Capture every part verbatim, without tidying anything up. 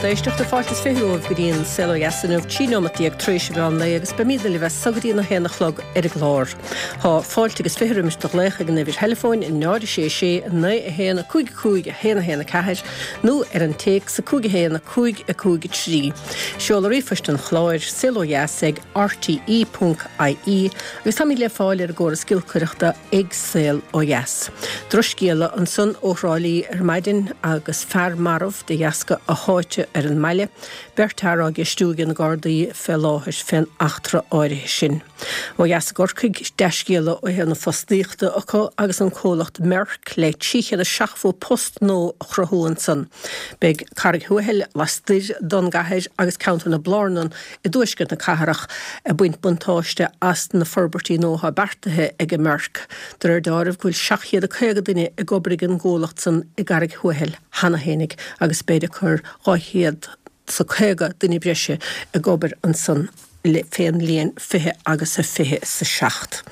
Lucht éisteachta fáilte is fiche romhaibh go dtí an Saol Ó Dheas inniu trí nóiméad déag tar éis an mheán lae agus beimid libh as so go dtí a haon a chlog ar an gclár. Tá fáilte agus fiche roimis do ghlaoch ag an uimhir theileafóin náid sé sé naoi a haon a cúig cúig a haon a haon a ceathair nó ar an téacs a cúig a haon a cúig a cúig a trí. Seoladh ríomhphoist an chláir saol ó dheas ag rte ponc ie agus táimid le fáil ar an gcóras giolcaireachta ag Saol Ó Dheas. Drochscéala ansan ó Thrá Lí ar maidin agus fear marbh de dheasca a sháite ar an mbaile, beirt fhear á gceistiú ag na Gardaí fé láthair fén eachtra áirithe sin. Ó dheas i gCorcaigh, dea-scéala ó thaobh na fostaíochta acu agus an comhlacht Merck le trí chéad is seachtó post nua a chruthú ansan. Beidh Carraig Thuathail lastoir don gcathair agus ceantar na Blárnan i dtuaisceart na cathrach ag baint buntáiste as na forbairtí nua atá beartaithe ag an Merck. De réir dealraimh go bhfuil seacht chéad a caoga duine ag obair ag an gcomhlacht san i gCarraig Thuathail cheana fhéinig agus beidh ag cur dhá chéad 's a caoga duine breise ag obair ansan fén mbliain fiche agus a fiche 's a seacht.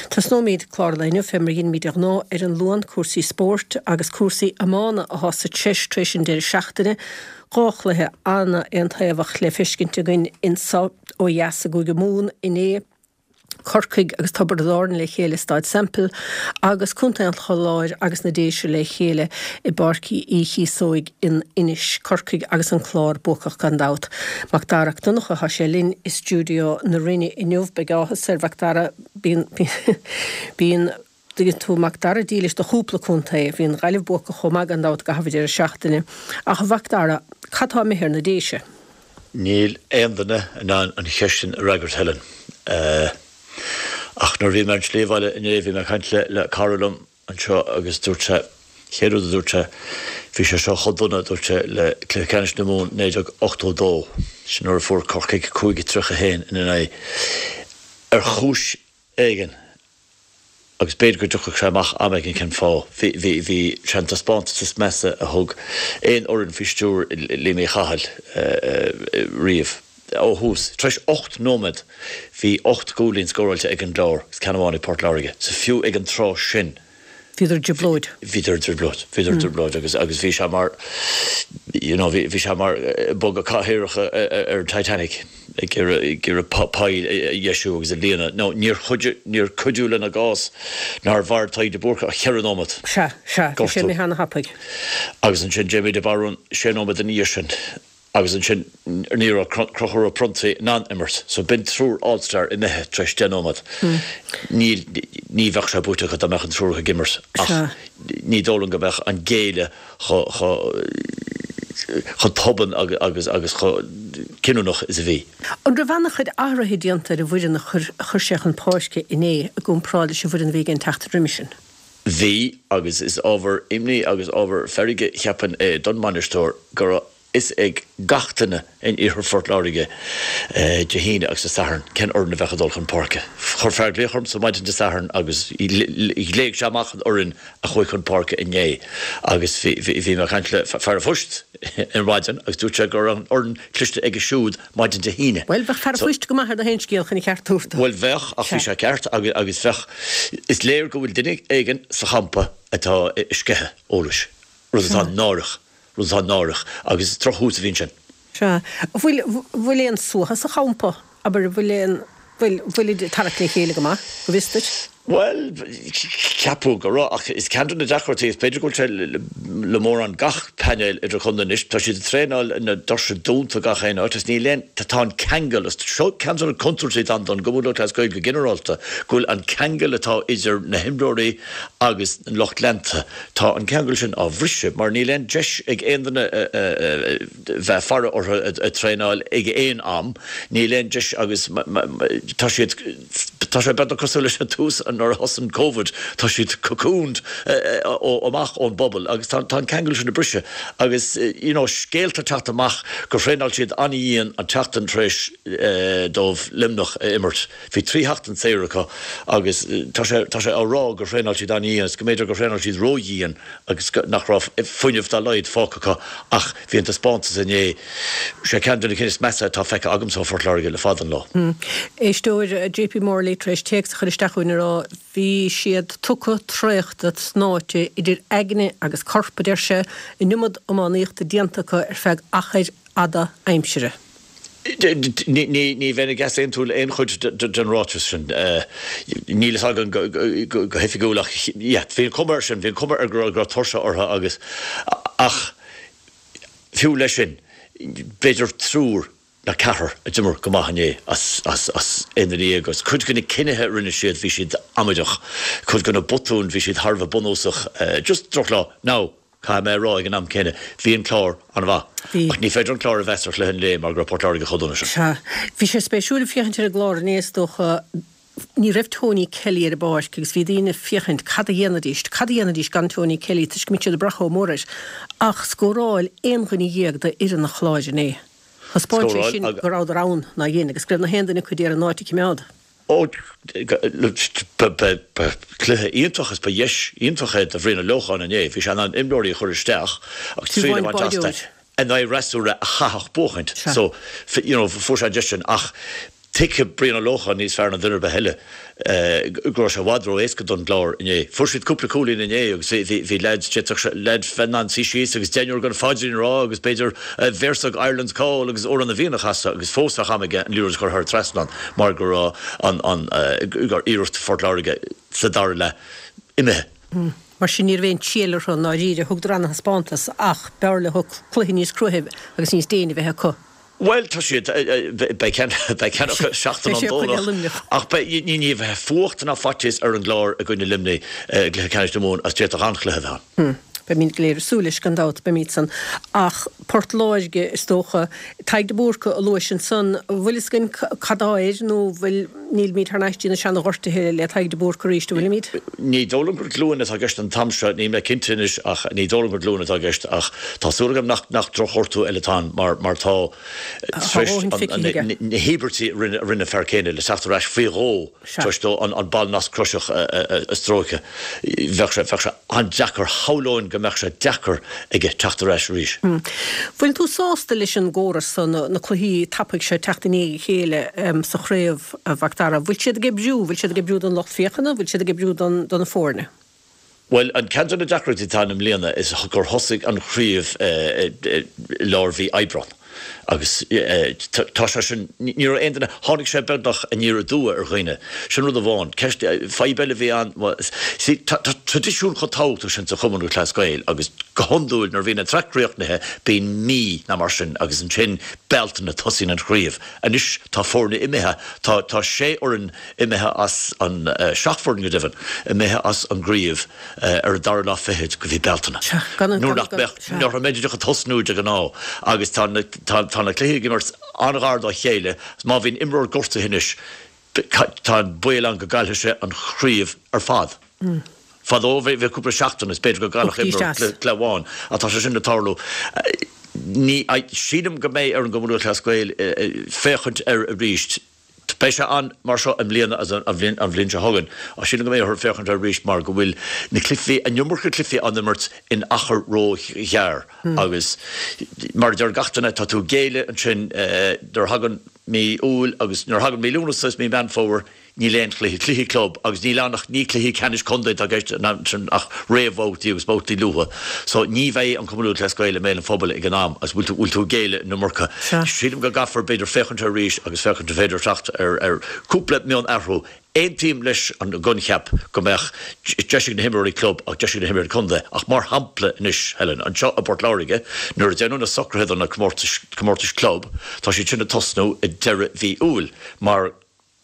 Tosnóimid clár an lae inniu fé mar a dheinimid de ghnáth ar an Luan, cúrsaí spóirt agus cúrsaí iomána atá sa treis tar éis an deireadh seachtaine. Dhá chluiche ana-aontaobhach le feiscint againn insa ó dheas i gCúige Mumhan inné. Corcaigh agus Tiobraid Árann le chéile i Staid Semple agus Contae an Chláir agus na Déise le chéile i bPáirc Uí Chíosóig in Inis, Corcaigh agus an Clár buacach gan dabht. Mac Dara Mac Donncha tá sé linn i stiúideo na Rinne inniu. Beidh áthas ar Mhac Dara bíonn bíonn tuigeann tú Mac Dara dílis do chúpla contae, bhí an Ghaillimh buacach chomh maith gan dabht i gcaitheamh an deireadh seachtaine. Ach a Mhac Dara, cad tá imithe ar na Déise? Níl aon duine in ann an cheist sin a fhreagairt, Helen. Ach nuair a bhí mé ar an tslí abhaile inné bhí mé ag caint le le cara liom anseo agus dúirt sé, chéad rud a dúirt sé, bhí sé seo chomh dona, dúirt sé, le Cluiche Ceannais na Mumhan naoi déag ochtó dó, sin nuair a fuair Corcaigh cúig a tríocha a haon ina n-aghaidh. Ar chúis éigin, agus b'fhéidir go dtiocfadh sé amach am éigin cén fáth. Bhí, bhí, bhí sé an taispeántas is measa a thug aon fhoireann faoi stiúir Liam Uí Chathail riamh. Ó thús, tar éis ocht nóiméad, bhí ocht gcúilín scóráilte ag an gClár agus ceann amháin ag Port Láirge. So fiú ag an tráth sin. Bhíodar i dtrioblóid. Bhíodar i dtrioblóid. Bhíodar i dtrioblóid agus, agus bhí sé mar, you know, bhí, bhí sé mar bogadh cathaoireacha ar an Titanic. ag iarraidh poill a dheisiú agus a líonadh. Now, níor chuidigh, níor cuidiú lena gcás nár mhair Tadhg de Búrca ach cheithre nóiméad. Sea, sea, bhí sé Gortú. imithe ana-thapaidh. Agus ansin Jamie de Barún sé nóiméad ina dhiaidh sin. Agus ansin ní raibh Conchúr Ó Pronntaigh in ann imirt. So b'in triúr All-Star imithe tar éis deich nóiméad. Níl, ní bheadh sé buaite acu dá mbeadh an triúr acu ag imirt. Ach Sea. ní dóigh liom go mbeadh an géilleadh chomh, chomh, chomh tobann agus agus chomh cinniúnach is a bhí. An raibh an-chuid athruithe déanta ar an bhfoireann a chuir sé chun páirce inné i gcomparáid leis an bhfoireann a bhí aige an tseachtain roimhe sin? Bhí, agus is ábhar imní agus ábhar feirge, cheapfainn, é don mbainisteoir go raibh fhios ag gach duine in iarthar Phort Láirge Dé hAoine agus Dé Sathairn cén fhoireann a bheadh ag dul chun páirce. Chuir fear glaoch ormsa maidin Dé Sathairn agus ghlaoigh sé amach an fhoireann a chuaigh chun páirce inné agus bhí mé ag caint le fear an phoist ar maidin agus dúirt sé go raibh an fhoireann cloiste aige siúd maidin Dé hAoine. Bhuel, bheadh fear an phoist go maith ar na haon scéal chun an ceart a thabhairt dó. Bhuel, bheadh, ach bhí sé ceart agus bheadh, is léir go bhfuil duine éigin sa champa atá ag sceitheadh eolais, rud atá náireach, rud atá náireach agus is drochthús a bhí ansin. Sea. Bhfuil, bhfuil aon suaitheadh sa champa? Abair, bhfuil aon, bhfuil, bhfuilid ag tarrac le chéile go maith, go bhfios duit? Bhuel, ceapadh go raibh, ach is ceann de na deacrachtaí, is b'fhéidir go bhfuil sé le mórán gach painéal idirchontae anois, tá siad ag traenáil na doirse dúnta gach aon áit agus níl aon, tá an ceangal, is seo ceann de na contúirtí atá ann don gCumann Lúthchleas Gael go ginearálta, go bhfuil an ceangal atá idir na himreoirí agus an lucht leanta, tá an ceangal sin á bhriseadh mar níl aon deis ag aon duine bheith ag faire orthu ag traenáil ag aon am, níl aon deis agus tá siad, tá sé beagnach cosúil leis an tús nuair a thosaigh Covid, tá siad cocooned amach ón bpobal agus tá an ceangal sin ag briseadh agus you know scéalta ag teacht amach gur thraenáil siad an-dhian an tseachtain tar éis dóibh Luimneach a imirt. Bhí trí sheachtain saor acu agus tá sé tá sé á rá gur thraenáil siad an-dhian agus go mb'fhéidir gur thraenáil siad ródhian agus nach raibh fuinneamh dá laghad fágtha acu ach bhí an taispeántas inné, sé ceann de na cinn is measa atá feicthe agamsa ó Phort Láirge le fada an lá. Éisteoir JP Morley tar éis téacs a chur isteach chugainn ag rá bhí siad tugtha, traochta, tnáite idir aigne agus corp, a deir sé, an iomad iománaíochta déanta acu ar feadh achair fhada aimsire. Ní bheinn ag easaontú le aon chuid den ráiteas sin. Níl a fhios agam go hoifigiúil ach yeah, bhí an chuma air sin, bhí an chuma air go raibh tuirse orthu agus ach fiú leis sin, b'fhéidir triúr nó ceathrar a d'imir go maith inné as aon duine déag agus cuid de na cinnithe a rinne siad, bhí siad amaideach, cuid de na botúin, bhí siad thar a bheith bunúsach. Just drochlá. Now, caithfidh mé a rá ag an am céanna, bhí an Clár an-mhaith. Ach ní féidir an Clár a mheas ar chluiche an lae mar go raibh Port Láirge chomh dona sin. Sea. Bhí sé spéisiúil féachaint ar an gClár inné is dócha. Ní raibh Tony Kelly ar an bpáirc agus bhí daoine ag féachaint cad a dhéanfaidís, cad a dhéanfaidís gan Tony Kelly toisc go mbíonn siad ag brath chomh mór air. Ach scóráil aon dhuine dhéag d'fhoireann an Chláir inné. Thaispeáin sé sin go rabhadar ann ná dhein agus go raibh na haon duine acu d'iarraidh an áit a choimeád. Ó, ba chluiche iontach is ba dheis iontach é do Bhrian Ó Lócháin inné. Bhí sé in ann imreoirí a chur isteach agus triail a bhaint astu in aghaidh fhreasúra a chaithfeadh buachaint. So, you know, fuair sé an deis sin ach tuigfidh Brian Ó Lócháin níos fearr ná duine ar bith eile go raibh sé i bhfad ró-éasca don gClár inné. Fuair siad cúpla cúilín inné agus bhí leaids, d'fhéadfadh leaids bheith in ann suí síos agus deichniúr den phaidrín a rá agus b'fhéidir véarsa Ireland's Call agus Amhrán na bhFiann a chasadh agus fós bheadh am aige an liathróid a chur thar an trasnán mar go raibh an iarracht Phort Láirge sa dara leath imithe. Mar sin ní raibh aon triail orthu i ndáiríre. Thugadar an-thaispeántas ach b'fhearr leo cluiche níos cruaithe agus níos déine a bheith acu. Bhuel, tá siad, beidh ceann acu seachtain ón Domhnach, ach beidh, ní, ní bheidh fuacht ná faitíos ar an gClár i gcoinne Luimnigh i gcluiche ceannais na Mumhan agus d'fhéadfadh an-chluiche a bheith ann. Beimid go léir ag súil leis, gan dabht, beimid san. Ach Port Láirge, is dócha, Tadhg de Búrca a luais ansan, an bhfuil fhios againn cad tá air nó bhfuil, nílimid thar n-ais dtí na seana-ghortuithe le Tadhg de Búrca arís, an bhfuilimid? Ní dóigh liom gur glúin atá i gceist an t-am seo, níl mé cinnte anois ach ní dóigh liom gur glúin atá i gceist ach tá súil agam nach nach drochghortú eile atá ann mar mar tá tar éis na híobairtí a rinne an fear céanna le teacht ar ais faoi dhó tar éis dó an ballnasc croiseach a stróiceadh. Bheadh sé bheadh sé an-deacair, shamhlóinn go mbeadh sé deacair aige teacht ar ais arís. Bhfuil tú sásta leis an gcóras so, na cluichí tapaidh seo ag teacht i ndiaidh a chéile sa chraobh, a Mhac Dara? Bhfuil siad ag oibriú? Bhfuil siad ag oibriú don lucht féachana? Bhfuil siad ag oibriú don do na foirne? Bhuel, an ceann de na deacrachtaí atá ann i mbliana is gur thosaigh an chraobh i lár mhí Aibreán agus tá sé sin, ní raibh aon duine, tháinig sé beagnach aniar aduaidh ar dhaoine. Sin rud amháin. Ceist, fadhb eile a bhí ann, see, tá traidisiún chomh tábhachtach sin sa Chumann Lúthchleas Gael agus go hiondúil nuair a bhíonn an tsraith críochnaithe bíonn mí nó mar sin agus ansin Bealtaine tosaíonn an chraobh. Anois tá foirne imithe, tá, tá sé fhoireann imithe as an, seacht bhfoireann go deimhin, imithe as an gcraobh ar an dara lá fichead de mhí Bealtaine. Nuair nach mbeadh, nuair a mbeidís ag tosnú de ghnáth agus tá na, tá, tá na cluichí ag imirt an-ghar dá chéile, má bhíonn imreoir gortaithe anois, tá an baol ann go gcaillfidh sé an chraobh ar fad. Fadó bhí cúpla seachtain is b'fhéidir go gcaillfeadh imreoir cluiche amháin ach tá sé sin ag tarlú. Ní, sílim go mbeidh ar an gCumann Lúthchleas Gael féachaint air arís. Beidh sé ann mar seo i mbliana agus an bhliain seo chugainn ach sílim go mbeidh orthu féachaint air arís mar go bhfuil na cluichí, an iomarca cluichí á n-imirt in achar ró-ghearr agus mar a deir gach duine tá tú ag géilleadh ansin nuair a thagann mí Iúil agus nuair a thagann mí Lúnasa is mí Meán Fómhair níl aon chluiche, cluichí club agus níl ann ach ní cluichí ceannais contae atá i gceist ansin ach réamhbhabhtaí agus babhtaí luatha. So ní bheidh an Cumann Lúthchleas Gael i mbéal an phobail ag an am agus bhfuil tú, bhfuil tú ag géilleadh an iomarca. Sílim go gcaithfear b'fhéidir féachaint air arís agus féachaint an féidir teacht ar, ar cúpla mionathrú. Aontaím leis an gcoincheap go mbeadh deis ag na himreoirí club ach deis ag na himreoirí contae ach mar shampla anois, Helen, anseo i bPort Láirge nuair a déanadh na socruithe do na comórtais, comórtais club, tá siad sin ag tosnú i deireadh mhí Iúil mar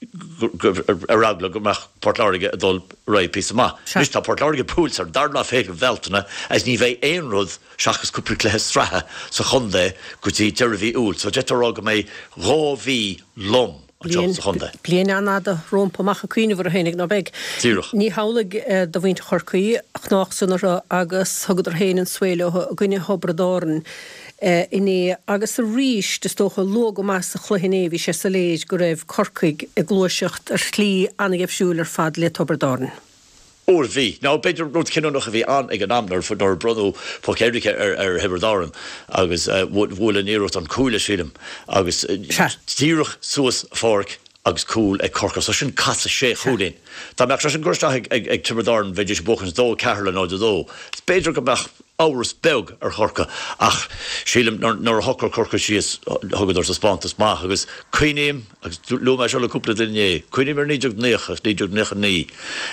ar eagla go mbeadh Port Láirge ag dul ar aghaidh píosa maith. Anois tá Port Láirge buailte ar an dara lá fichead de Bhealtaine agus ní bheidh aon rud seachas cúpla cluiche sraithe sa chontae go dtí deireadh mhí Iúil so d'fhéadfá a rá go mbeidh dhá mhí lom anseo sa chontae. Bliain an-fhada rompu amach ag cuimhneamh orthu fhéinig, ná beidh? Díreach. Ní hamhlaidh do mhuintir Chorcaí, chnách san orthu agus thugadar féin an svae leo i gcoinne Thiobraid Árann. inné agus arís, is dócha, luath go maith sa chluiche inné bhí sé soiléir go raibh Corcaigh ag gluaiseacht ar shlí an-gheimhsiúil ar fad le Tiobraid Árann. Ó bhí. Nó b'fhéidir rud cinniúnach a bhí ann ag an am nuair a bronnadh poc éirice ar Thiobraid Árann agus bhuail an iarracht an cuaille, sílim, agus díreach suas an pháirc agus cúl ag Corcaigh. So sin casadh sé chúilín. Dá mbeadh sé sin curtha isteach ag Tiobraid Árann bheidís ag buachaint dó ceathair le náid a dó. B'fhéidir go mbeadh amhras beag ar Chorcaigh ach sílim nuair a shocraigh Corcaigh síos thugadar taispeántas maith agus cuimhním, agus luaigh mé seo le cúpla duine inné, cuimhním ar naoi déag naocha agus naoi déag naocha naoi,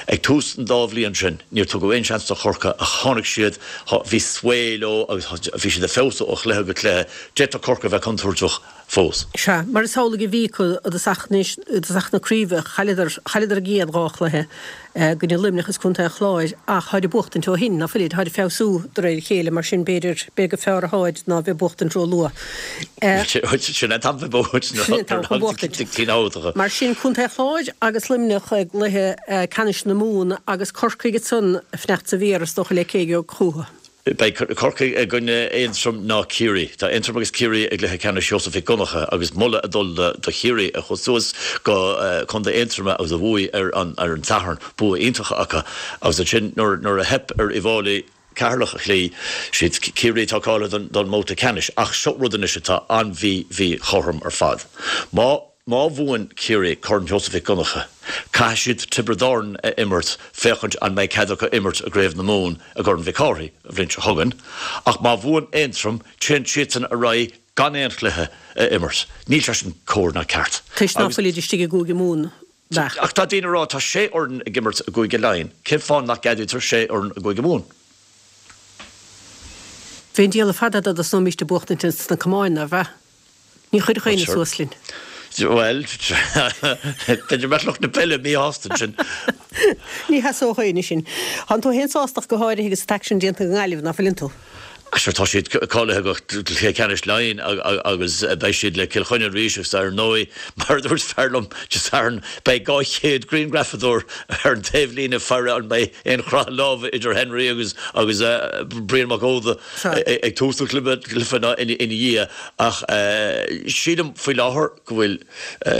ag tús an dá bhliain sin níor tugadh aon seans do Chorcaigh ach tháinig siad, bhí sway leo agus bhí siad ag feabhsú ó chluiche go cluiche, d'fhéadfadh Corcaigh a bheith contúirteach fós. Sea, mar is amhlaidh a bhí acu i dtosach i dtosach na craoibhe, chailleadar, chailleadar a gcéad dhá chluiche i gcoinne Luimneach is Contae an Chláir ach tháid ag buachtaint ó shin, ná fuilid, tháid ag feabhsú de réir a chéile, mar sin b'fhéidir, b'fhéidir gur fearr atháid ná bheith ag buachtaint ró-luath. Sin an t-am bheith buachtaint Sin an t-am chun buachtaint. Mar sin Contae an Chláir agus Luimneach i gcluiche ceannais na Mumhan agus Corcaigh ansan ag fanacht sa mhéar is dócha le cé a gheobhaidh chucu. Beidh Corcaigh i gcoinne Aontroim ná Ciarraí. Tá Aontroim agus Ciarraí i gcluiche ceannais Sheosaimh Mhic Dhonncha agus moladh ag dul do Chiarraí a chuaigh suas go Contae Aontroma agus a bhuaigh ar an ar an Satharn. Bua iontach acu agus ansin nuair nuair a theip ar Uíbh Fhailí Ceatharlach a chloí, siad Ciarraí atá cáilithe don mbabhta ceannais. Ach seo rud anois atá an-mhí-mhíchothrom ar fad. Má. Má bhuann Ciarraí Corn Sheosaimh Mhic Dhonncha, caithfidh siad Tiobraid Árann a imirt féachaint an mbeidh cead acu imirt i gCraobh na Mumhan i gCorn Mhic Cárthaigh an bhliain seo chugainn. Ach má bhuann Aontroim, téann siadsan ar aghaidh gan aon chluiche a imirt. Níl sé sin cóir ná ceart. Toisc ná fuilid istigh i gCúige Mumhan, bheadh. Ach tá daoine ag rá, tá sé fhoireann ag imirt i gCúige Laighean, cén fáth nach gceadaítear sé fhoireann i gCúige Mumhan? Bheadh an diabhal fada dá dtosnóimíst ag buachtaint ins na camáin, ná bheadh? Ní chuirfeadh éinne suas linn. Bhuel, b'fhéidir go mbeadh lucht na peile míshásta ansin. Ní sheasódh éinne sin. Tánn tú féin sásta ach go háirithe agus an t-aicsean déanta ag an nGaillimh, ná fuileann tú? Sure, tá siad cáilithe go cluiche ceannais Laighean agus beidh siad le Cill Chainnigh arís agus ar ndóigh, mar a dúirt fear liom Dé Sathairn, beidh dhá chéad grianghrafadóir ar an taobhlíne ag faire an mbeidh aon chroitheadh láimhe idir Henry agus agus Brian Mac Óda ag tús an chluiche ná ina dhiaidh. Ach sílim faoi láthair go bhfuil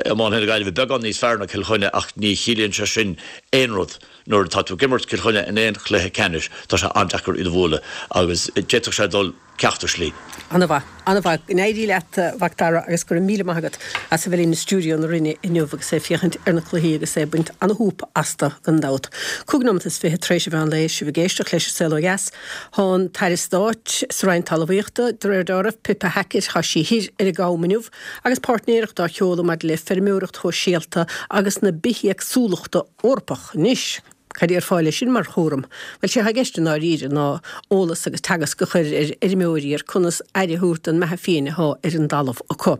iománaithe na Gaillimhe beagán níos fearr ná Cill Chainnigh ach ní chiallaíonn sé sin aon rud. Nuair atá tú ag imirt Cill Chainnigh in aon chluiche ceannais, tá sé an-deacair iad a bhualadh agus d'fhéadfadh sé dul ceachtar slí. An-mhaith, an-mhaith. Go n-éirí leat, a Mhac Dara, agus go raibh míle maith agat as a bheith linn i stiúideo na Rinne inniu agus é ag féachaint ar na cluichí agus é ag baint an-shúp astu, gan dabht. Cúig nóimeat is fiche tar éis an mheán lae, sibh ag éisteacht leis an Saol Ó Dheas. Thá an tAire Stáit sa Roinn Talmhaíochta, de réir dealraimh, Pippa Hackett, thá sí thoir ar an gCam inniu agus páirtnéireacht á sheoladh maidir le feirmeoireacht shóisialta agus na bithéagsúlachta Eorpach. Anois, cad a déarfá leis sin mar chúram? Bhuel, sé atá i gceist i ndáiríre ná eolas agus teagasc a chur ar fheirmeoirí ar conas aire a thabhairt don mbeatha fiáin athá ar an dtalamh acu.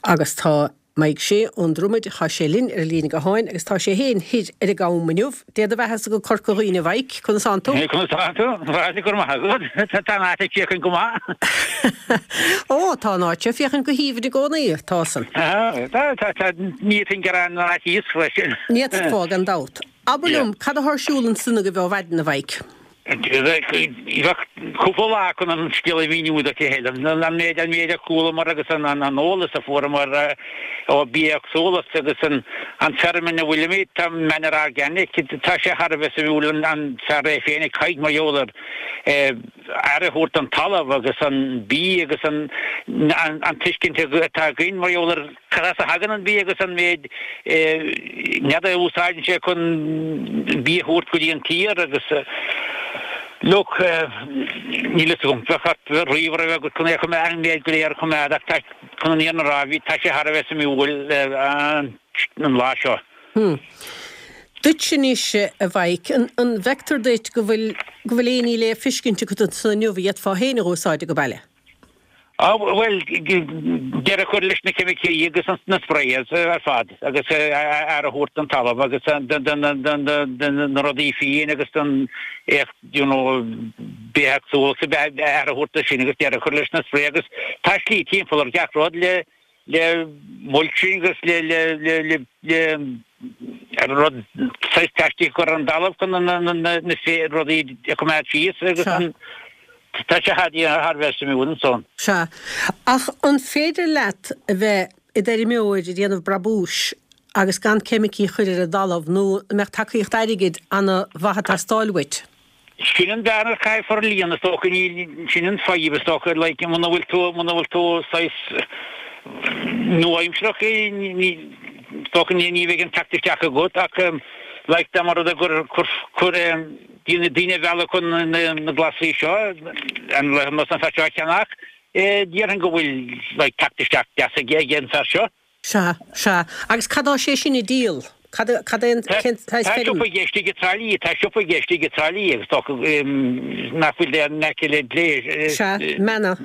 Agus tá Mike Shea ón Dromaid, thá sé linn ar an líne gutháin agus tá sé féin thoir ar an gCam inniu. Dé do bheathasa go Corca Dhuibhne, a Mhaidhc. Conas tánn tú? Conas tánn tú? Bhuel, go raibh maith agat. Tá an áit ag féachaint go maith. Ó, tá an áit ag féachaint go haoibhinn i gcónaí, tá san. Tá, tá, tá, ní fhéadfainn gearán ar fhaitíos freisin. Ní fhéadfá, gan dabht. Abair liom, cad athá ar siúl ansan agaibh ó mhaidin, a Mhaidhc? Bheadh cúpla lá chun an scéal a mhíniú duit, a Helen. An méid an méid a chualamar agus an eolas a fuaireamar ó bithéagsúlacht agus an an feirm ina bhfuilimid, tá Manor Organic, tá sé thar a bheith suimiúil an fear é féin ag caint mar gheall ar aire a thabhairt don talamh agus an bia agus an an tuiscint atá againn mar gheall ar Cad as a thagann an bia agus an méid nead a úsáideann sé chun bia a thabhairt go dtí an tír agus look, níl fhios agam, bheadh ort ríomhaire a bheith agat chun é a choimeád, an méid go léir a choimeád ach tá, chun an fhírinne a rá, bhí, tá sé thar a bheith suimiúil an lá seo. Hmm. Duitse anois, a Mhaidhc, an bhfeictear duit go bhfuil, go bhfuil aon ní le feiscint agat ansan inniu a d'fhéadfá féin a dh'úsáid age baile? Á, bhuel, deireadh a chur leis na ceimicí agus na sprayers ar fad agus aire a thabhairt don talamh agus do na rudaí fiáin agus don you know, bithéagsúlacht, aire a thabhairt do sin agus deireadh a chur leis na spray agus tá slí timpeall ar gach rud le le mulching agus le le le le le rud saghas plaistic a chur ar an dtalamh chun na na rudaí a choimeád síos agus an Tá sé thar a bheith suimiúil ansan. Sea. Ach an féidir leat a bheith i d'fheirmeoir ag déanamh brabúis agus gan ceimicí a chur ar an dtalamh nó an mbeadh tacaíocht airgid ana-mhaith ag teastáil uait? Sin an bhearna a chaithfear a líonadh is dócha, níl, sin an fadhb is dócha, like muna bhfuil tú, muna bhfuil tú saghas nua-aimsearach, ní, is dócha ní, ní bheidh an teacht isteach agat ach like dá mba rud é gur, gur, gur, daoine daoine a mhealladh chun na glasraí seo, an nós an fear seo a cheannach, déarfainn go bhfuil like teacht isteach deas ag an fear seo. Sea, sea. Agus cad tá sé sin ag díol? Cad cad é an cén Tá saghas feirm? siopa aige istigh i dTrá Lí, tá siopa aige istigh i dTrá Lí agus tá nach bhfuil in aice le Glé. Sea, Manor.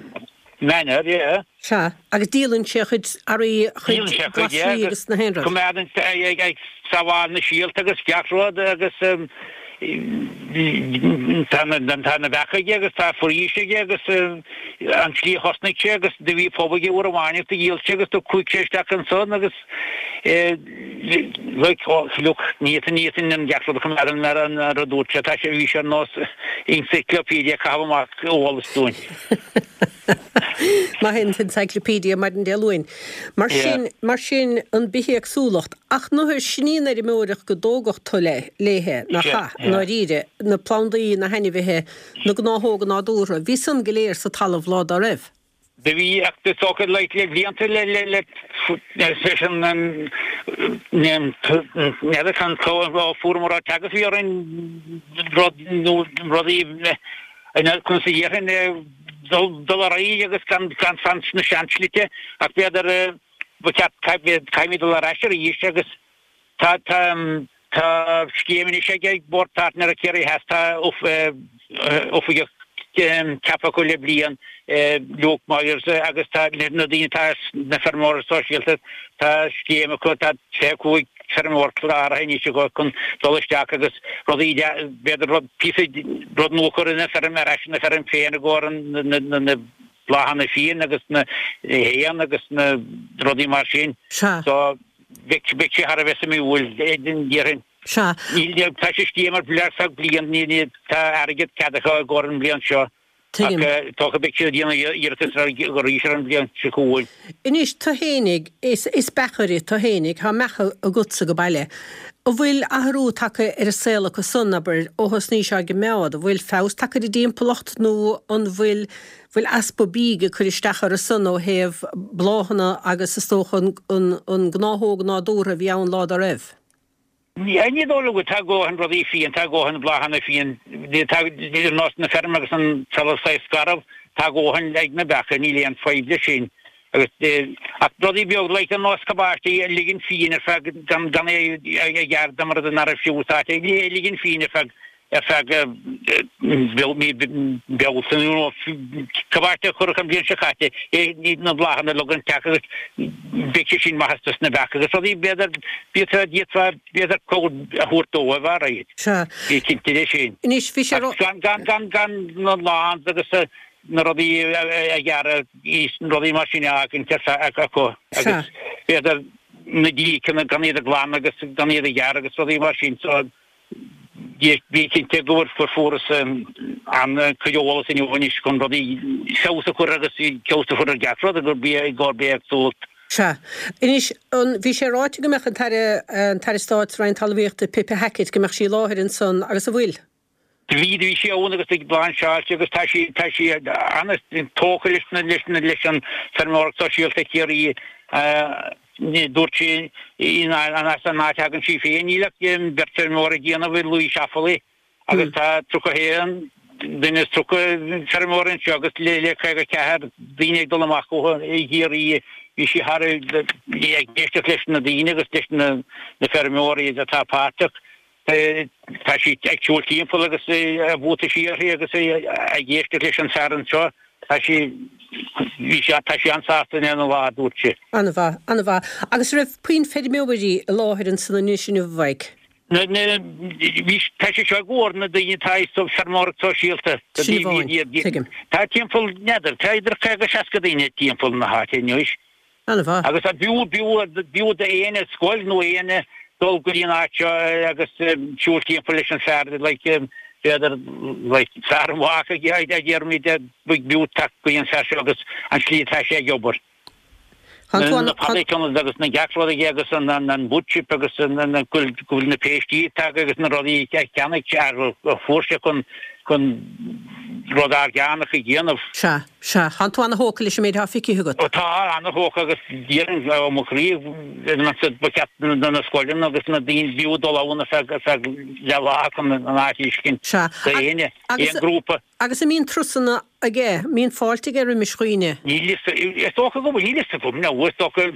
Manor, yeah. Sea, agus díolann sé a chuid earraí, a chuid Díolann sé a chuid, yeah, glasraí agus agus na haon rud. coimeádann sé ag ag sábháil na síolta agus gach rud agus tá na tá na beacha aige agus tá foraois aige agus an tslí a thosnaigh sé agus do bhí pub aige uair amháin agus do dhíol sé agus do chuaigh sé isteach ansan agus like oh look ní fhéadfainn ní fhéadfainn an gach rud a choimeád mar an rud dúirt sé tá sé bhí sé ar nós encyclopedia ag caitheamh amach eolas dúinn. Maith an t-encyclopedia maidin Dé Luain. Mar sin, mar sin an bithéagsúlacht. Ach nuair sin í an fheirmeoireacht go dtógadh tú léithe, nach ea, i ndáiríre, na plandaí, na hainmhithe, na gnáthóga nádúrtha, bhí san go léir sa talamh lá dá raibh. Do bhí, ach is dócha le blianta le le le leis an n'fheadar can fuaireamar ár teagasc bhí orainn rud nó rudaí conas a dhéarfainn dul dul ar aghaidh agus gan gan fan sna seanslite ach b'fhéidir ba cheart caithfimid dul ar ais arís agus tá tá tá scéim anois ag Bord Páirtnéireachta Ciarraí Theas tá oifigeach ceaptha acu le bliain Luke Myers agus tá na daoine atá na feirmeoirí sóisialta tá scéim acu tá fiche cúig feirmeoir cláraithe anois acu chun dul isteach agus rudaí b'fhéidir rud píosa rud nua a chur ina feirm ar ais ina feirm féin i gcomhair na na bláthanna fiáin agus na héin agus na rudaí mar sin. Sea. So bheadh bheadh sé thar a bheith suimiúil déarfainn. Sea. Níl tá sé scéim ar feadh bliain ní tá airgead ceadaithe i gcomhair an bhliain seo. Tuigim. Ach dócha beidh siad ag déanamh iarratas arís ar an bhliain seo chugainn. Anois, tú fhéinig, is, is beachaire tú fhéinig, tá beacha agatsa go baile. An bhfuil athrú tagtha ar an saol acu san, abair, ó thosnaís á gcoimeád? An bhfuil feabhas tagtha ar an dtimpeallacht nó an bhfuil, bhfuil easpa bídh ag cur isteach orthu san ó thaobh bláthanna agus is dócha an, an, an gnáthóg nádúrtha a bhí ann lá dá raibh? Ní dóigh liom go tá dóthain rudaí fiáin, tá dóthain bláthanna fiáin, tá ar nós na feirme agus an trealamh saghas garbh, tá dóthain ag na beacha, níl aon fadhb leis sin. Agus ach rudaí beag like ar nós cabáistí a ligean fiáin ar feadh gan gan é a ghearradh dá mba rud é nach raibh sé úsáidte, é a ligean fiáin ar feadh ar feadh mí Bealtaine nó cabáiste a cuireadh an bhliain seo caite, na bláthanna a leagan isteach agus beidh sé sin maith dos na beacha agus rudaí b'fhéidir b'fhéidir d'fhéadfá b'fhéidir cabhair a thabhairt dóibh ar aghaidh. Sea. Bí cinnte de sin. Anois bhí sé ró. Gan gan gan gan na lawns agus na rudaí a ghearradh na rudaí mar sin a fhágaint ar feadh acu Sea. agus b'fhéidir na díceanna gan iad a ghlanadh agus gan iad a ghearradh agus rudaí mar sin so Bí cinnte go bhfuair fuarthas an-chuid eolas inniu anois chun rudaí feabhas a chur agus feabhas a chur ar gach rud gurb é gurb éagsúlacht. Sea. Anois, an, bhí sé ráite go mbeadh an tAire, an tAire Stáit sa Roinn Talmhaíochta, Pippa Hackett, go mbeadh sí i láthair ansan agus an bhfuil? Do bhí, do bhí sí ann agus ag lainseáilte agus tá sí, tá sí an-tógtha leis na, leis na, leis an feirmeoireacht sóisialta Chiarraí. Dúirt sí as an áit a thagann sí féin, níl ach beirt feirmeoir ag déanamh i Laois Offaly agus tá tríocha haon duine is tríocha feirmeoir anseo agus le caoga ceathair daoine ag dul amach uathu i gCiarraí. Bhí sí thar ag éisteacht leis na daoine agus leis na feirmeoirí atá páirteach. Tá sí ag siúl timpeall agus a buataisí uirthi agus ag éisteacht leis an fear anseo. Tá sí, bhí sí, tá sí an-sásta lena lá, a dúirt sí. An-mhaith, an-mhaith. Agus an raibh puinn feirmeoirí i láthair ansan anois inniu, a Mhaidhc? Na, na, bhí, tá sé seo i gcomhair na daoine atá sa feirmeoireacht sóisialta. Sin amháin, tuigim. Tá timpeall, n'fheadar, tá idir caoga, seasca daoine timpeall na háite anois. An-mhaith. Agus b'fhiú, b'fhiú, b'fhiú d'éinne scoil nó éinne dul go dtí an áit seo agus siúl timpeall leis an fear like b'fhéidir like fear an bhác a déarfaimid b'fhiú teacht go dtí an fear seo agus an slí atá sé ag obair. Na paddock agus na gach rud aige agus an an wood chip agus an an go bhfuil na péistí tagtha agus na rudaí a cheannaigh sé a fuair sé chun chun rud orgánach a dhéanamh. Sea. Sea, tánn tú ana-thógtha leis an méid atá feicthe agat. Ó tá, ana-thógtha agus déarfainn ó mo chroí ba cheart do na scoileanna agus na daoine b'fhiú dul ann ar feadh ar feadh leath lá chun an áit a fheiscint Sea. d'aon Agus aon grúpa. agus an mbíonn turasanna aige, an mbíonn fáilte aige roimis dhaoine? Níl fhios, is dócha go bhfuil, níl fhios agam, no, is dócha,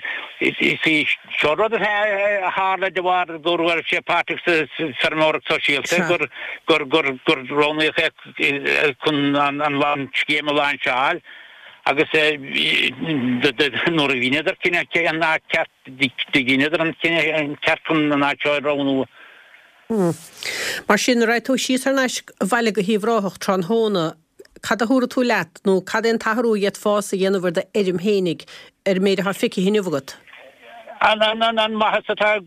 is í seo rud a tharla de bharr go raibh sé páirteach sa feirmeoireacht sóisialta, Sea. gur gur gur gur roghnaíodh é chun an an scéim a lainseáil agus nuair a dheineadar cinneadh cé an áit ceart dheineadar an cinneadh ceart chun an áit seo a roghnú. Mar sin, nuair a raghaidh tú síos thar n-ais abhaile go hUíbh Ráthach tráthnóna, cad a thabharfaidh tú leat nó cad é an t-athrú a d'fhéadfása a dhéanamh ar d'fheirm fhéinig ar an méid atá feicthe inniu agat? An an an an maitheas atá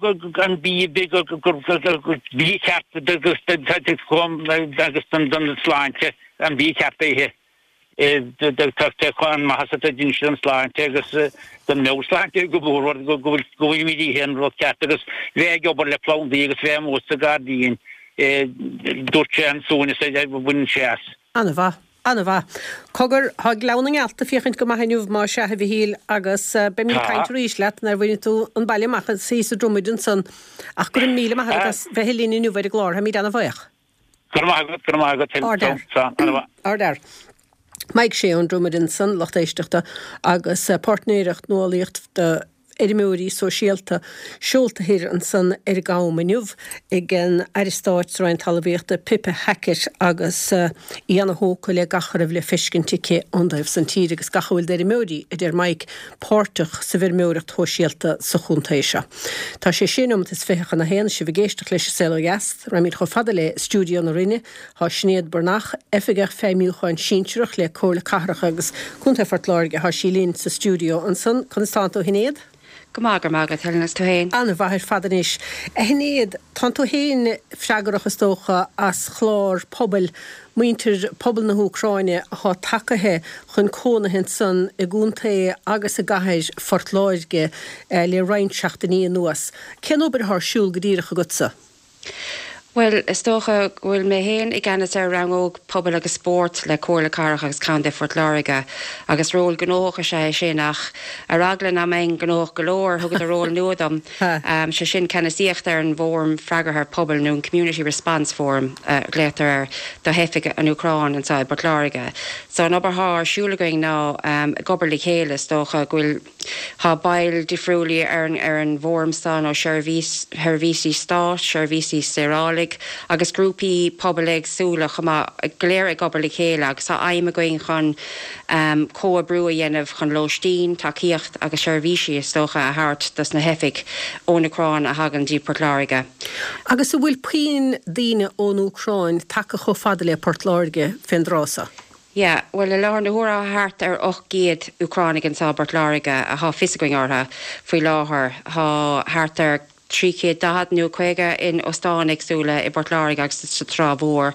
an bia gur gur bia ceart agus agus don don sláinte an bia ceart a ithe. Tá an maitheas atá déanann sé don sláinte agus don meabhairshláinte go mór go go bhfuilimid ag ithe an rud ceart agus bheith ag obair le plandaí agus bheith amuigh sa ghairdín, dúirt sé an suaimhneas a bhaineann sé as. An-mhaith. An-mhaith. Cogar, thá Gleann na nGealt ag féachaint go maith inniu má sea a Mhichíl agus beimid ag Tá. caint arís leat nuair a bhainfidh tú an baile amach is thíos i Dromaid ansan. Ach go raibh míle maith agat Tá. as bheith linn inniu ar an gclár, táimid ana-bhuíoch. Go raibh maith agat, go raibh maith agat, Ardfhear. Slán, an-mhaith. Ardfhear. Mike Shea ón Dromaid ansan, lucht éisteachta agus páirtnéireacht nuálaíocht do fheirmeoirí sóisialta seolta thoir ansan ar an gCam inniu ag an Aire Stáit sa Roinn Talmhaíochta Pippa Hackett agus í ana-thógtha le gach a raibh le feiscint aici ón dtaobh san tíre agus gach a bhfuil d'fheirmeoirí, a deir Mike, páirteach sa bhfeirmeoireacht shóisialta sa chontae seo. Tá sé sé nóimeat is fiche chun a haon, sibh ag éisteacht leis an Saol Ó Dheas, raghaimid chomh fada le stiúideo na Rinne, Tá Sinéad Breathnach, Oifigeach Feidhmiúcháin Sinsearach le Comhairle Cathrach agus Contae Phort Láirge, tá sí linn sa stiúideo ansan. Conas tánn tú a Shinéad? Go maith, go raibh maith agat, Helen, agus tú féin? An-mhaith ar fad anois. A Shinéad, tánn tú féin freagrach is dócha as chlár pobail, muintir pobal na hÚcráine atá tagaithe chun cónaithe ansan i gcontae agus i gcathair Phort Láirge le roinnt seachtainí anuas. Cén obair atá ar siúl go díreach agatsa? Bhuel, is dócha go bhfuil mé féin i gceannas ar rannóg Pobail agus Spóirt le Comhairle Cathrach agus Contae Phort Láirge agus ról gnóthach is ea é sin ach ar eagla nach mbeinn gnóthach go leor thugadar ról nua dom. Um, sé sin ceannasaíocht ar an bhFóram Freagartha Pobail nó an Community Response Forum uh, glaotar air do theifigh an Úcráin anseo i bPort Láirge. So an obair atá ar siúl againn ná um, ag obair le chéile is dócha go bhfuil Tá baill difriúla ar an ar an bhfóram san ó sheirbhísí stáit, seirbhísí saorálaigh agus grúpaí pobail éagsúla chomh maith go léir ag obair le chéile agus tá aidhm againn chun um, comhoibriú a dhéanamh chun lóistín, tacaíocht agus seirbhísí is dócha a thabhairt dos na teifigh ón Úcráin a thagann dtí Port Láirge. Agus an bhfuil puinn daoine ón Úcráin tagtha chomh fada le Port Láirge fén dtráth so? Yeah, well i láthair na huaire thart ar ocht gcéad Úcránaigh anseo i bPort Láirge atá fios againn orthu faoi láthair. Tá thart ar trí chéad daichead nó caoga in óstáin éagsúla i bPort Láirge agus sa Trá Mhór.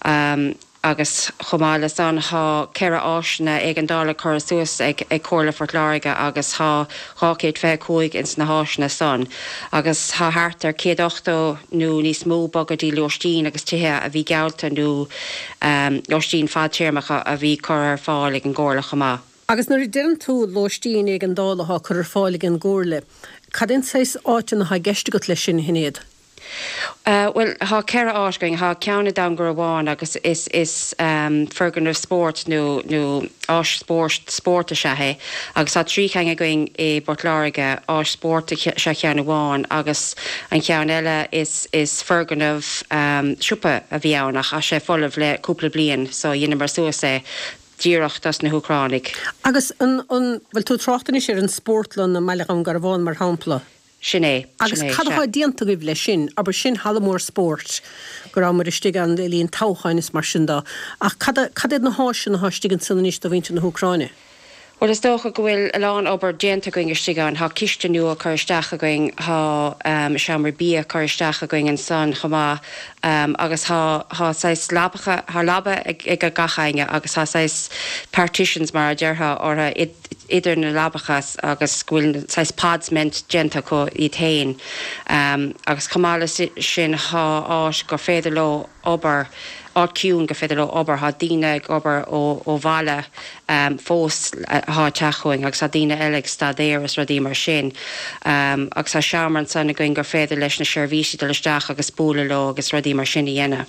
Um, agus chomh maith le san tá ceithre áiseanna éigeandála curtha suas ag ag Comhairle Phort Láirge agus tá dhá chéad fiche cúig ins na háiseanna san. Agus tá thart ar céad ochtó nó níos mó bogtha dtí lóistín agus tithe a bhí geallta nó um, lóistín fadtéarmacha a bhí curtha ar fáil ag an gComhairle chomh maith. Agus nuair a deireann tú lóistín éigeandála atá curtha ar fáil ag an gComhairle, cad é an saghas áiteanna atá i gceist agat leis sin, a Shinéad? Uh, well tá ceithre áit againn tá ceann i nDún Garbhán agus is is um, foirgneamh spóirt nó nó áis spóirt spóirt is ea é agus tá trí cheann againn i bPort Láirge áis spóirt is ea ceann amháin agus an ceann eile is is foirgneamh um, siopa a bhí ann ach tá sé folamh le cúpla bliain so dheineamar suas é díreach dos na hÚcránaigh. Agus an an bhfuil tú ag trácht anois ar an spórtlann i mBaile Dhún Garbhán mar shampla? Sin é. Agus cad atá déanta agaibh leis sin, abair sin halla mór spóirt go rabhamar istigh ann le linn toghcháin is mar sin de, ach cad cad iad na háiseanna atá istigh ansan anois do mhuintir na hÚcráine? Well is dócha go bhfuil a lán obair déanta againn istigh ann, tá ciste nua curtha isteach againn, tá um, seomra bia curtha isteach againn ansan chomh maith um, agus tá tá saghas leapacha thá leaba ag ag gach éinne agus tá saghas partitions mar a déarfá orthu idir na leapacha agus go bhfuil saghas pods meant déanta acu iad féin. Um, agus chomh maith le sin tá áit gur féidir leo obair áit ciúin gur féidir leo obair tá daoine ag obair ó, ó bhaile um, fós atá ag teacht chugainn agus tá daoine eile ag staidéar is rudaí mar sin. Um, agus tá seomra ansan againn gur féidir leis na seirbhísí dul isteach agus bualadh leo agus rudaí mar sin a dhéanamh.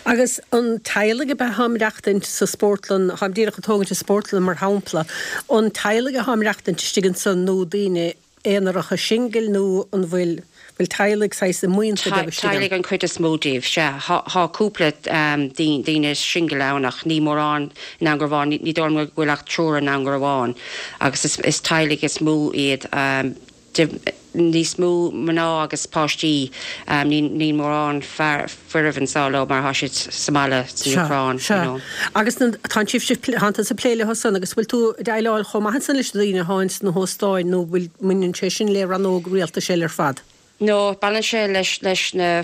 Agus an teaghlaigh a bheith ag maireachtaint sa spórtlann, táim díreach ag tógaint an spórtlann mar shampla, an teaghlaigh atá ag maireachtaint istigh ansan nó daoine aonaracha singil nó an bhfuil bhfuil teaghlaigh saghas i mbuíonta beaga istigh ann? Teaghlaigh an chuid is mó díobh, sea. Tá cúpla daoine singil ann ach ní mórán in Angraván, ní dóigh liom go bhfuil ach triúr in Angraván agus is teaghlaigh is mó iad. Níos mó mná agus páistí, níl mórán fearaibh anso leo mar tá siad sa mbaile san Úcráin, you know. Agus tá sibh, tá tusa ag plé leo san agus bhfuil tú ag déileáil chomh maith ansan leis na daoine atá ins na hóstáin nó bhfuil mbaineann sé sin le rannóg rialtais eile ar fad? No, baineann sé leis leis na na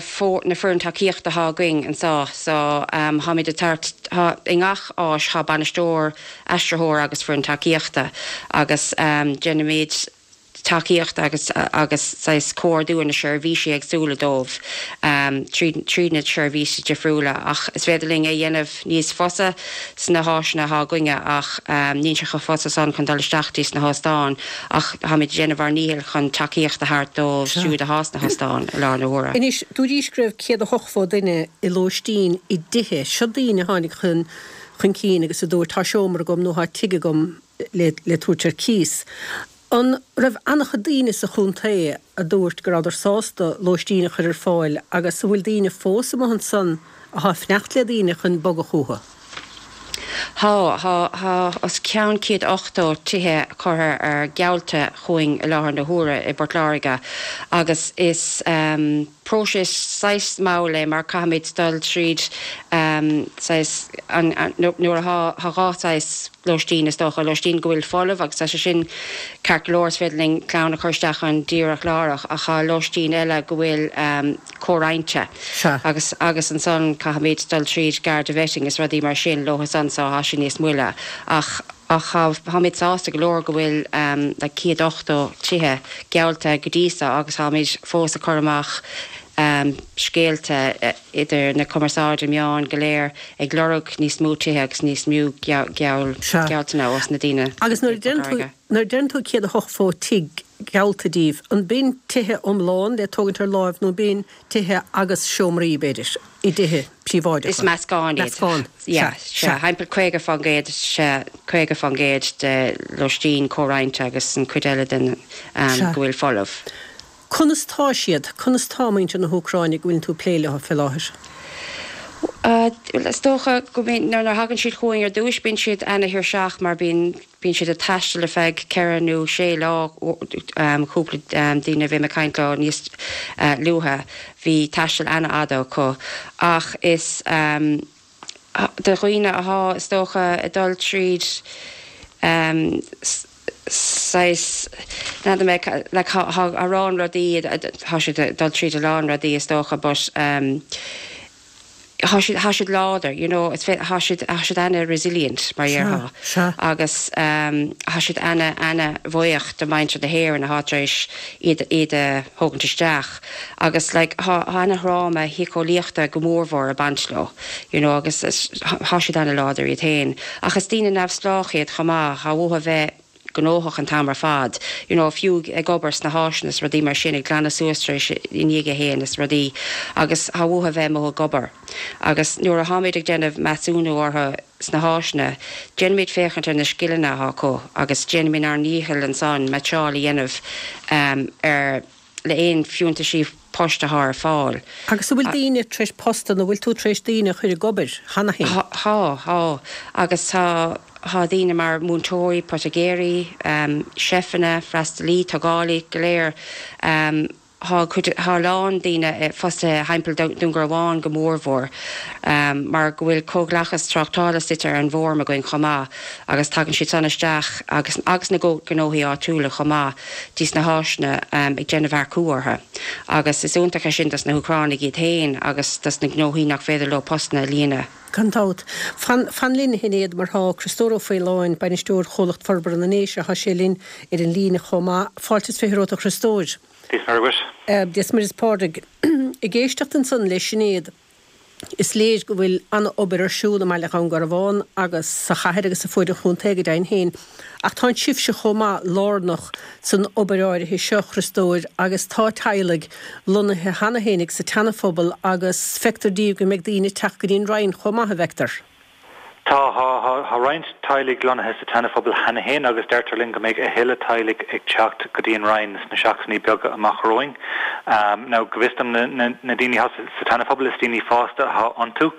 foireann tacaíochta atá againn anso so táimid ag tabhairt, tá i ngach áis tá bainisteoir, aistritheoir agus foireann tacaíochta agus déanaimid tacaíocht agus agus saghas comhordú ar na seirbhísí éagsúla dóibh tríd tríd na seirbhísí difriúla ach is féidir linn é dhéanamh níos fusa sna háiseanna atá againne ach níl sé chomh fusa san chun dul isteach dtí sna hóstáin ach táimid ag déanamh ár ndícheall chun tacaíocht a thabhairt dóibh siúd atá sna hóstáin i láthair na huaire. Anois, dúraís go raibh céad a hochtó duine i lóistín i dtithe. Seo daoine a tháinig chun chun cinn agus a dúirt tá seomra agam nó tá tigh agam le le tabhairt ar cíos. An raibh an-chuid daoine sa chontae a dúirt go rabhadar sásta lóistín a chur ar fáil agus an bhfuil daoine fós amuigh ansan atá ag fanacht le daoine chun bogadh chucu? Tá, tá, tá os cionn céad ochtó tithe curtha ar geallta chugainn i láthair na huaire i bPort Láirge agus is próiseas saghas mall é mar caithfimid dul tríd saghas an nuair atá tá dhá saghas lóistín is dócha, lóistín go bhfuil folamh agus tá sé sin ceart go leor is féidir linn clann a chur isteach ann díreach láithreach ach tá lóistín eile go bhfuil comhroinnte agus agus ansan caithfimid dul tríd Garda vetting is rudaí mar sin leo san so tá sé níos moille ach ach táimid sásta go leor go bhfuil like céad ochtó tithe geallta go dtí so agus táimid fós ag cur amach scéalta idir na cumarsáide meáin go léir ag lorg níos mó tithe agus níos mó gealltanna ós na daoine. Agus nuair a deireann tú nuair a deireann tú céad a hochtó tigh geallta daoibh, an b'in tithe iomlán le tógaint ar láimh nó b'in tithe agus seomraí, b'fhéidir, i dtithe príobháideacha? Is meascán iad. Meascán. Yeah, sea. Thimpeall caoga faoin gcéad, sea, caoga faoin gcéad de lóistín comhroinnte agus an chuid eile den go bhfuil folamh. Conas tá siad? Conas tá muintir na hÚcráine go bhfuil tú ag plé leo fé láthair? Bhuel, is dócha go mbíonn, nuair a thagann siad chugainn ar dtúis, bíonn siad ana-thuirseach mar bíonn, bíonn siad ag taisteal ar feadh ceithre nó sé lá, cúpla daoine a bhí mé ag caint leo níos luaithe, bhí taisteal ana-fhada acu. Ach is do dhaoine athá, is dócha, ag dul tríd saghas, n'fheadar mé, like thá a lán rudaí, thá siad ag dul tríd a lán rudaí is dócha but thá siad, thá siad láidir, you know, it's thá siad, thá siad ana-resilient mar dhéarfá agus thá siad ana, ana-bhuíoch de mhuintir na hÉireann athá tar éis iad, iad a thógaint isteach agus like thá, thá ana-thráma shíceolaíochta go mórmhór ag baint leo, you know, agus thá siad ana-láidir iad féin ach is daoine neamhspleách iad chomh maith, thá uathu bheith gnóthach an t-am ar fad, you know, fiú ag obair sna háiseanna is rudaí mar sin, ag glanadh suas tar éis i ndiaidh a fhéin is rudaí agus thá uathu bheith amuigh ag obair. Agus nuair a tháimid ag déanamh measúnú orthu sna háiseanna, déanaimid féachaint ar na scileanna athá acu agus déanaimid ár ndícheall ansan meaitseáil a dhéanamh ar le aon fiúntaisí poist athá ar fáil. Agus an bhfuil daoine tar éis postanna, an bhfuil tú tar éis daoine a chur ag obair cheana féin? Thá, thá. Agus tá, thá daoine mar múinteoirí, poitigéirí, seifeanna, freastalaí, tógálaí, go léir. Thá cuid, thá a lán daoine fostaithe thimpeall Dún Garbhán go mórmhór mar go bhfuil comhlachas tráchtála suite ar an bhFóram againn chomh maith agus tagann siad san isteach agus, agus na gnóthaí áitiúla chomh maith dtí sna háiseanna ag déanamh earcú orthu agus is iontach é sin dos na hÚcránaigh iad féin agus dos na gnóthaí nach féidir leo postanna a líonadh. Gan dabht. Fan, fan linn a Shinéad mar tá Criostóir Ó Faoláin, Bainisteoir Chomhlacht Forbartha na nDéise, tá sé linn ar an líne chomh maith. Fáilte is fiche romhat a Chriostóir. Dia is Muire dhuit. Dia is Muire is Pádraig. Ag éisteacht ansan le Sinéad, is léir go bhfuil an-obair ar siúl i mbaile Dhún Garbhán agus sa chathair agus ar fuaid an chontae go deimhin féin. Ach tá sibhse chomh maith lárnach san obair áirithe seo, a Chriostóir, agus tá teaghlaigh lonnaithe cheana féinig sa tSeanaphobal agus feictear díobh go mbeidh daoine ag teacht go dtí an Rinn chomh maith, an bhfeictear? Tá, tá, tá roinnt teaghlaigh lonnaithe sa tSeanaphobal cheana féin agus deirtear linn go mbeidh a thuilleadh teaghlaigh ag teacht go dtí an Rinn sna seachtainí beaga amach romhainn. Now, go bhfios dom, na daoine atá sa tSeanaphobal, is daoine fásta atá iontu,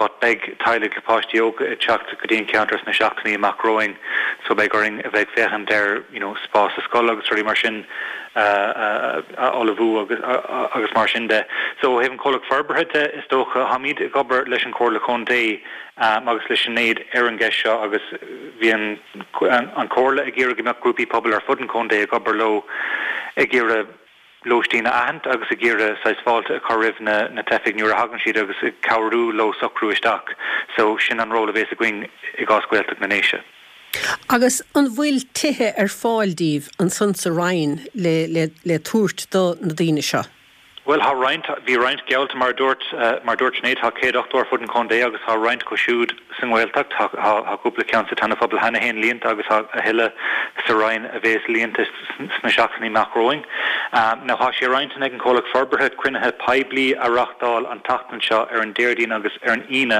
but beidh teaghlaigh le páistí óga ag teacht go dtí an ceantar sna seachtainí amach romhainn so beidh orainn a bheith ag féachaint ar, you know, spás sa scoil agus rudaí mar sin a ullmhú agus agus mar sin de. So ó thaobh an comhlacht forbartha de, is dócha, táimid ag obair leis an Chomhairle Contae agus le Sinéad ar an gceist seo agus bhí an an Chomhairle ag iarraidh go mbeadh grúpaí pobail ar fud an chontae ag obair leo ag iarraidh lóistín a aithint agus ag iarraidh saghas fáilte a chur roimh na na teifigh nuair a thagann siad agus ag cabhrú leo socrú isteach. So sin an ról a bhéas againn i gcás Gaeltacht na nDéise. Agus an bhfuil tithe ar fáil díbh ansan sa Rinn le le le tabhairt do na daoine seo? Bhuel, tá roinnt, bhí roinnt geallta mar a dúirt, mar a dúirt Sinéad, tá céad ochtó ar fud an chontae agus tá roinnt acu siúd sa nGaeltacht. Tá, tá cúpla ceann sa tSeanaphobal cheana féin líonta agus tá a thuilleadh sa Rinn a bhéas líonta sna seachtainí amach romhainn. Now tá sé ar intinn ag an Chomhlacht Forbartha cruinnithe poiblí a reáchtáil an tseachtain seo ar an Déardaoin agus ar an Aoine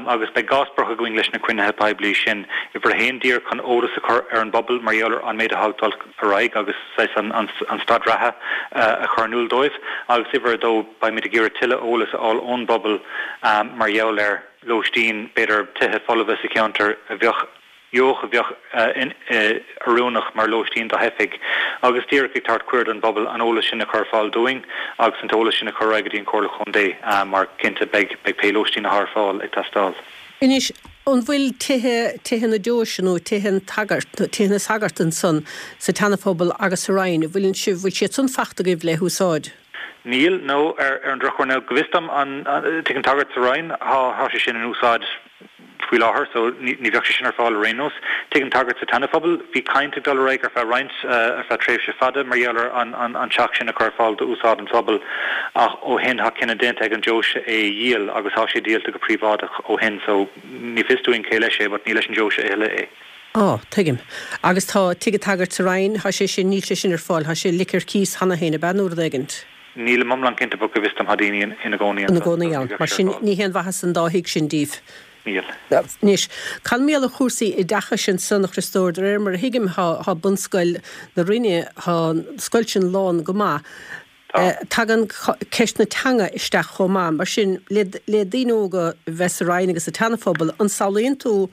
agus beidh dhá sprioc againn leis na cruinnithe poiblí sin. Uimhir a haon díreach chun eolas a chur ar an bpobal mar gheall ar an méid atá ag dul ar aghaidh agus saghas an staid reatha a chur in iúl dóibh agus uimhir a dó beimid ag iarraidh tuilleadh eolas a fháil ón bpobal mar gheall ar lóistín, b'fhéidir tithe folmha sa cheantar a bheadh gheobhadh a bheadh oiriúnach mar lóistín do theifigh agus díreach ag tabhairt cuireadh don bpobal an eolas sin a chur ar fáil dúinn agus an t-eolas sin a chur ar aghaidh go dtí an Chomhairle Chontae mar cinnte beidh pé lóistín atá ar fáil ag teastáil. Anois, an bhfuil tithe, tithe na deoise nó tithe an tsagairt, tithe na sagart ansan sa tSeanaphobal agus sa Rinn, an bhfuil sibh, bhfuil siad san fachta agaibh le húsáid? Níl, no, ar ar an drochuair now, go bhfios dom, an, tigh an tsagairt sa Rinn, thá, thá sé sin in úsáid faoi láthair so ní ní bheadh sé sin ar fáil ar aon nós. Tigh an tSagairt sa tSeanaphobal, bhí caint ag dul ar aghaidh ar feadh roinnt, ar feadh tréimhse fada mar gheall ar an an an teach sin a chur ar fáil d'úsáid an phobail ach ó shin tá cinneadh déanta ag an deoise é a dhíol agus tá sé díolta go príobháideach ó shin so ní fios dúinn cé leis é but ní leis an deoise a thuilleadh é. Á, tuigim. Agus tá Tigh an tSagairt sa Rinn, tá sé sin, níl sé sin ar fáil, tá sé ligthe ar cíos cheana féin, ab ea nó rud éigint? Nílim iomlán cinnte but go bhfios dom tá daoine ina gcónaí Ina gcónaí ann. Mar sin ní haon mhaitheas an dá thigh sin díbh. Níl. Anois, cad mar gheall ar chúrsaí oideachais ansan, a Chriostóir, de réir mar a thuigim, tá bunscoil na Rinne, tá an scoil sin lán go maith. Tá. Tagann ceist na teanga isteach chomh maith. Mar sin, le daoine óga a bheith sa Rinn agus sa tSeanaphobal, an samhlaíonn tú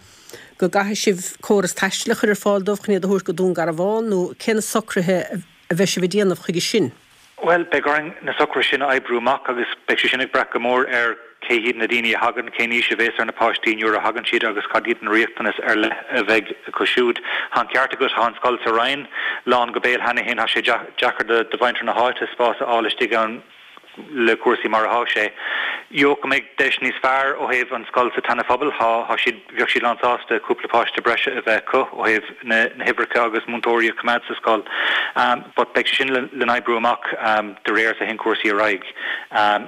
go gcaithfidh sibh córas taistil a chur ar fáil dóibh chun iad a thabhairt go Dún Garbhán nó cé na socruithe a bheidh sibh a dhéanamh chuige sin? Bhuel, beidh orainn na socruithe sin a oibriú amach agus beidh sé sin ag brath go mór ar cé hiad na daoine a thagann, cén aois a bhéas ar na páistí nuair a thagann siad agus cad iad na riachtanais ar leith a bheidh acu siúd. Tá an ceart agat, tá an scoil sa Rinn lán go béal cheana féin, tá sé deacair do mhuintir na háite spás a fháil istigh ann le cúrsaí mar atá sé. Gheobhadh go mbeidh deis níos fearr ó thaobh an scoil sa tSeanaphobal, tá, tá siad, bheadh siad lán sásta cúpla páiste breise a bheith acu ó thaobh na, na huimhreacha agus múinteoirí a choimeád sa scoil. But beidh sé sin le, le n-oibriú amach de réir is a théann cúrsaí ar aghaidh.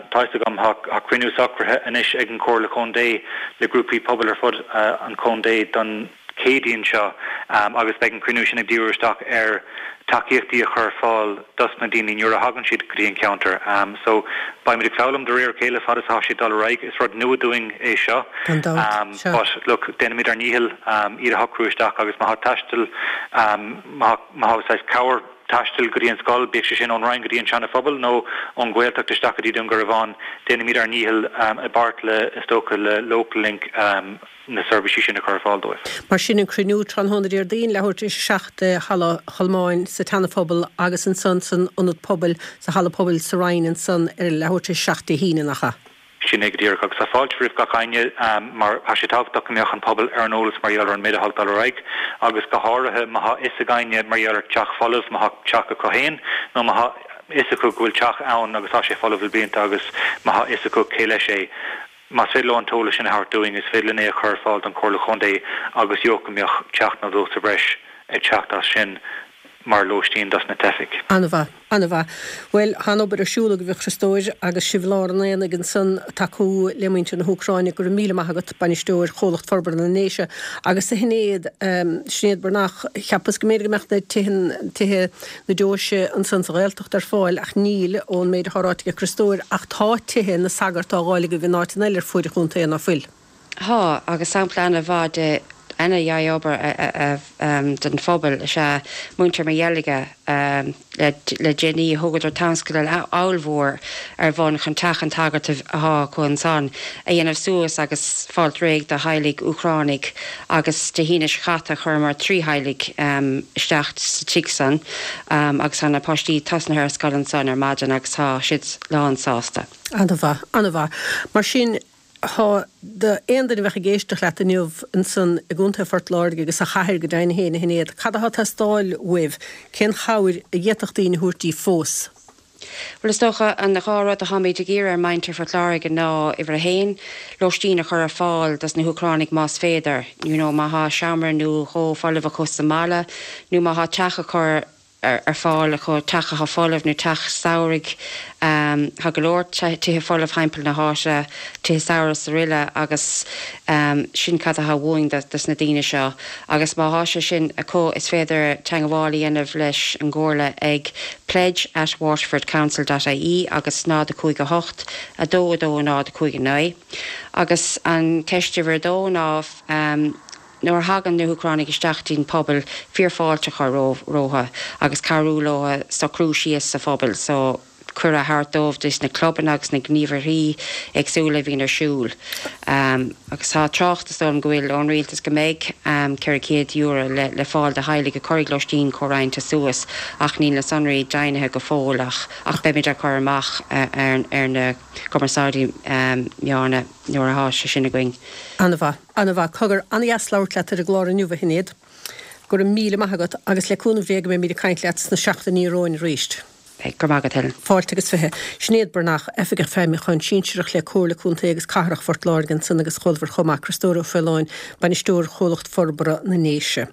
Tá fhios agam, tá, tá cruinniú socraithe anois ag an Chomhairle Chontae le grúpaí pobail ar fud an chontae don, Céadaoin seo agus beidh an cruinniú sin ag díriú isteach ar tacaíochtaí a chur ar fáil dos na daoine nuair a thagann siad go dtí an ceantar. So beimid ag foghlaim de réir a chéile fad is atá sé ag dul ar aghaidh. Is rud nua dúinn é seo. Gan dabht. Sea. But look, déanfaimid ár ndícheall iad a shocrú isteach agus má tá taisteal, má tá saghas cabhair taistil go dtí an scoil, bíodh sé sin ón Rinn go dtí an Seana-Phobal nó ón Ghaeltacht isteach go dtí Dún Garbhán, déanfaimid ár ndícheall i bpáirt le, is dócha, le Local Link, na seirbhísí sin a chur ar fáil dóibh. Mar sin, an cruinniú tráthnóna Déardaoin, leathuair tar éis a seacht i Halla Cholmáin sa tSeana-Phobal agus ansan san Ionad Pobail, sa Halla Pobail sa Rinn ansan ar leathuair tar éis a seacht Dé hAoine, nach ea? Sin é go díreach. Agus tá fáilte roimh gach éinne mar tá sé tábhachtach go mbeadh an pobal ar an eolas mar gheall ar an méid atá ag dul ar aghaidh agus go háirithe má tá fhios ag éinne mar gheall ar teach folamh, má tá teach acu féin nó má tá fhios acu go bhfuil teach ann agus tá sé folamh le blianta agus má tá fhios acu cé leis é. Más féidir leo an t-eolas sin a thabhairt dúinn, is féidir linn é a chur ar fáil don Chomhairle Chontae agus dócha go mbeadh teach nó dó sa bhreis ag teacht as sin mar lóistín dos na teifigh. An-mhaith, an-mhaith. Bhuel, tá an-obair ar siúl agaibh a Chriostóir agus sibh i lár an aonaigh ansan ag tacú le muintir na hÚcráine. Go raibh míle maith agat, Bainisteoir Chomhlacht Forbartha na nDéise. Agus a Shinéad, Sinéad Breathnach, cheapas go mb'fhéidir go mbeadh na tithe, tithe na deoise ansan sa Ghaeltacht ar fáil ach níl, ón méid atá ráite ag Criostóir, ach tá tithe na sagart á dháileadh agaibh in áiteanna eile ar fuaid an chontae, ná fuil? Tá, agus sampla an-mhaith de ana-dhea-obair don phobal is ea muintir Mheirge le déanaí. Thugadar tionscadal ollmhór ar bun chun teach an tsagairt atá acu ansan a dhéanamh suas agus fáilt réidh do theaghlaigh Úcránaigh agus Dé hAoine seo caite chuireamar trí theaghlaigh isteach sa tigh san agus tá na páistí tosnaithe ar scoil ansan ar maidin agus tá siad lán sásta. An-mhaith, an-mhaith. Mar sin, Tá d'aon duine a bheadh ag éisteacht leat inniu ansan i gContae Phort Láirge agus sa chathair go deimhin féin, a Shinéad, cad atá ag teastáil uaibh? Cén chabhair a d'fhéadfadh daoine a thabhairt daoibh fós? Bhuel, is dócha, an dhá rud atáimid ag iarraidh ar mhuintir Phort Láirge ná, uimhir a haon, lóistín a chur ar fáil dos na hÚcránaigh más féidir, you know, má thá seomra nó dhó folamh acu sa mbaile nó má thá teach a chur ar fáil acu, teach atá folamh nó teach samhraidh. Tá go leor tithe folamh thimpeall na háite, tithe samhraidh is aroile agus sin cad atá uainn dos na daoine seo. Agus má thá sé sin acu is féidir teangmháil a dhéanamh leis an gComhairle ag pledge at waterfordcouncil dot ie agus náid a cúig a hocht, a dó a dó náid a cúig a naoi. Agus an ceist uimhir a dó ná Nuair a thagann na hÚcránaigh isteach dtí'n pobal, fíorfháilte a chur rompu agus cabhrú leo socrú síos sa phobal so cuireadh a thabhairt dóibh dos na clubanna agus na gníomharthaí éagsúla a bhíonn ar siúl. Agus tá trácht, is dóigh liom go bhfuil, ón rialtas go mbeidh ceithre chéad euro le fáil do theaghlaigh a chuirfidh lóistín comhroinnte suas ach níl na sonraí deimhnithe go fóill ach ach beimid á cur amach ar na cumarsáidí meáin nuair atá sé sin againn. An-mhaith. An-mhaith. Cogar, an-dheas labhairt leat ar an gclár inniu, a Shinéad. Go raibh míle maith agat agus le cúnamh Dé go mbeimid ag caint leat sna seachtainí romhainn arís. Go raibh maith agat, Helen. Fáilte agus fiche. Sinéad Breathnach, Oifigeach Feidhmiúcháin Sinsearach le Comhairle Contae agus Cathrach Phort Láirge ansan agus chualamar chomh maith Criostóir Ó Faoláin, Bainisteoir Chomhlacht Forbartha na nDéise.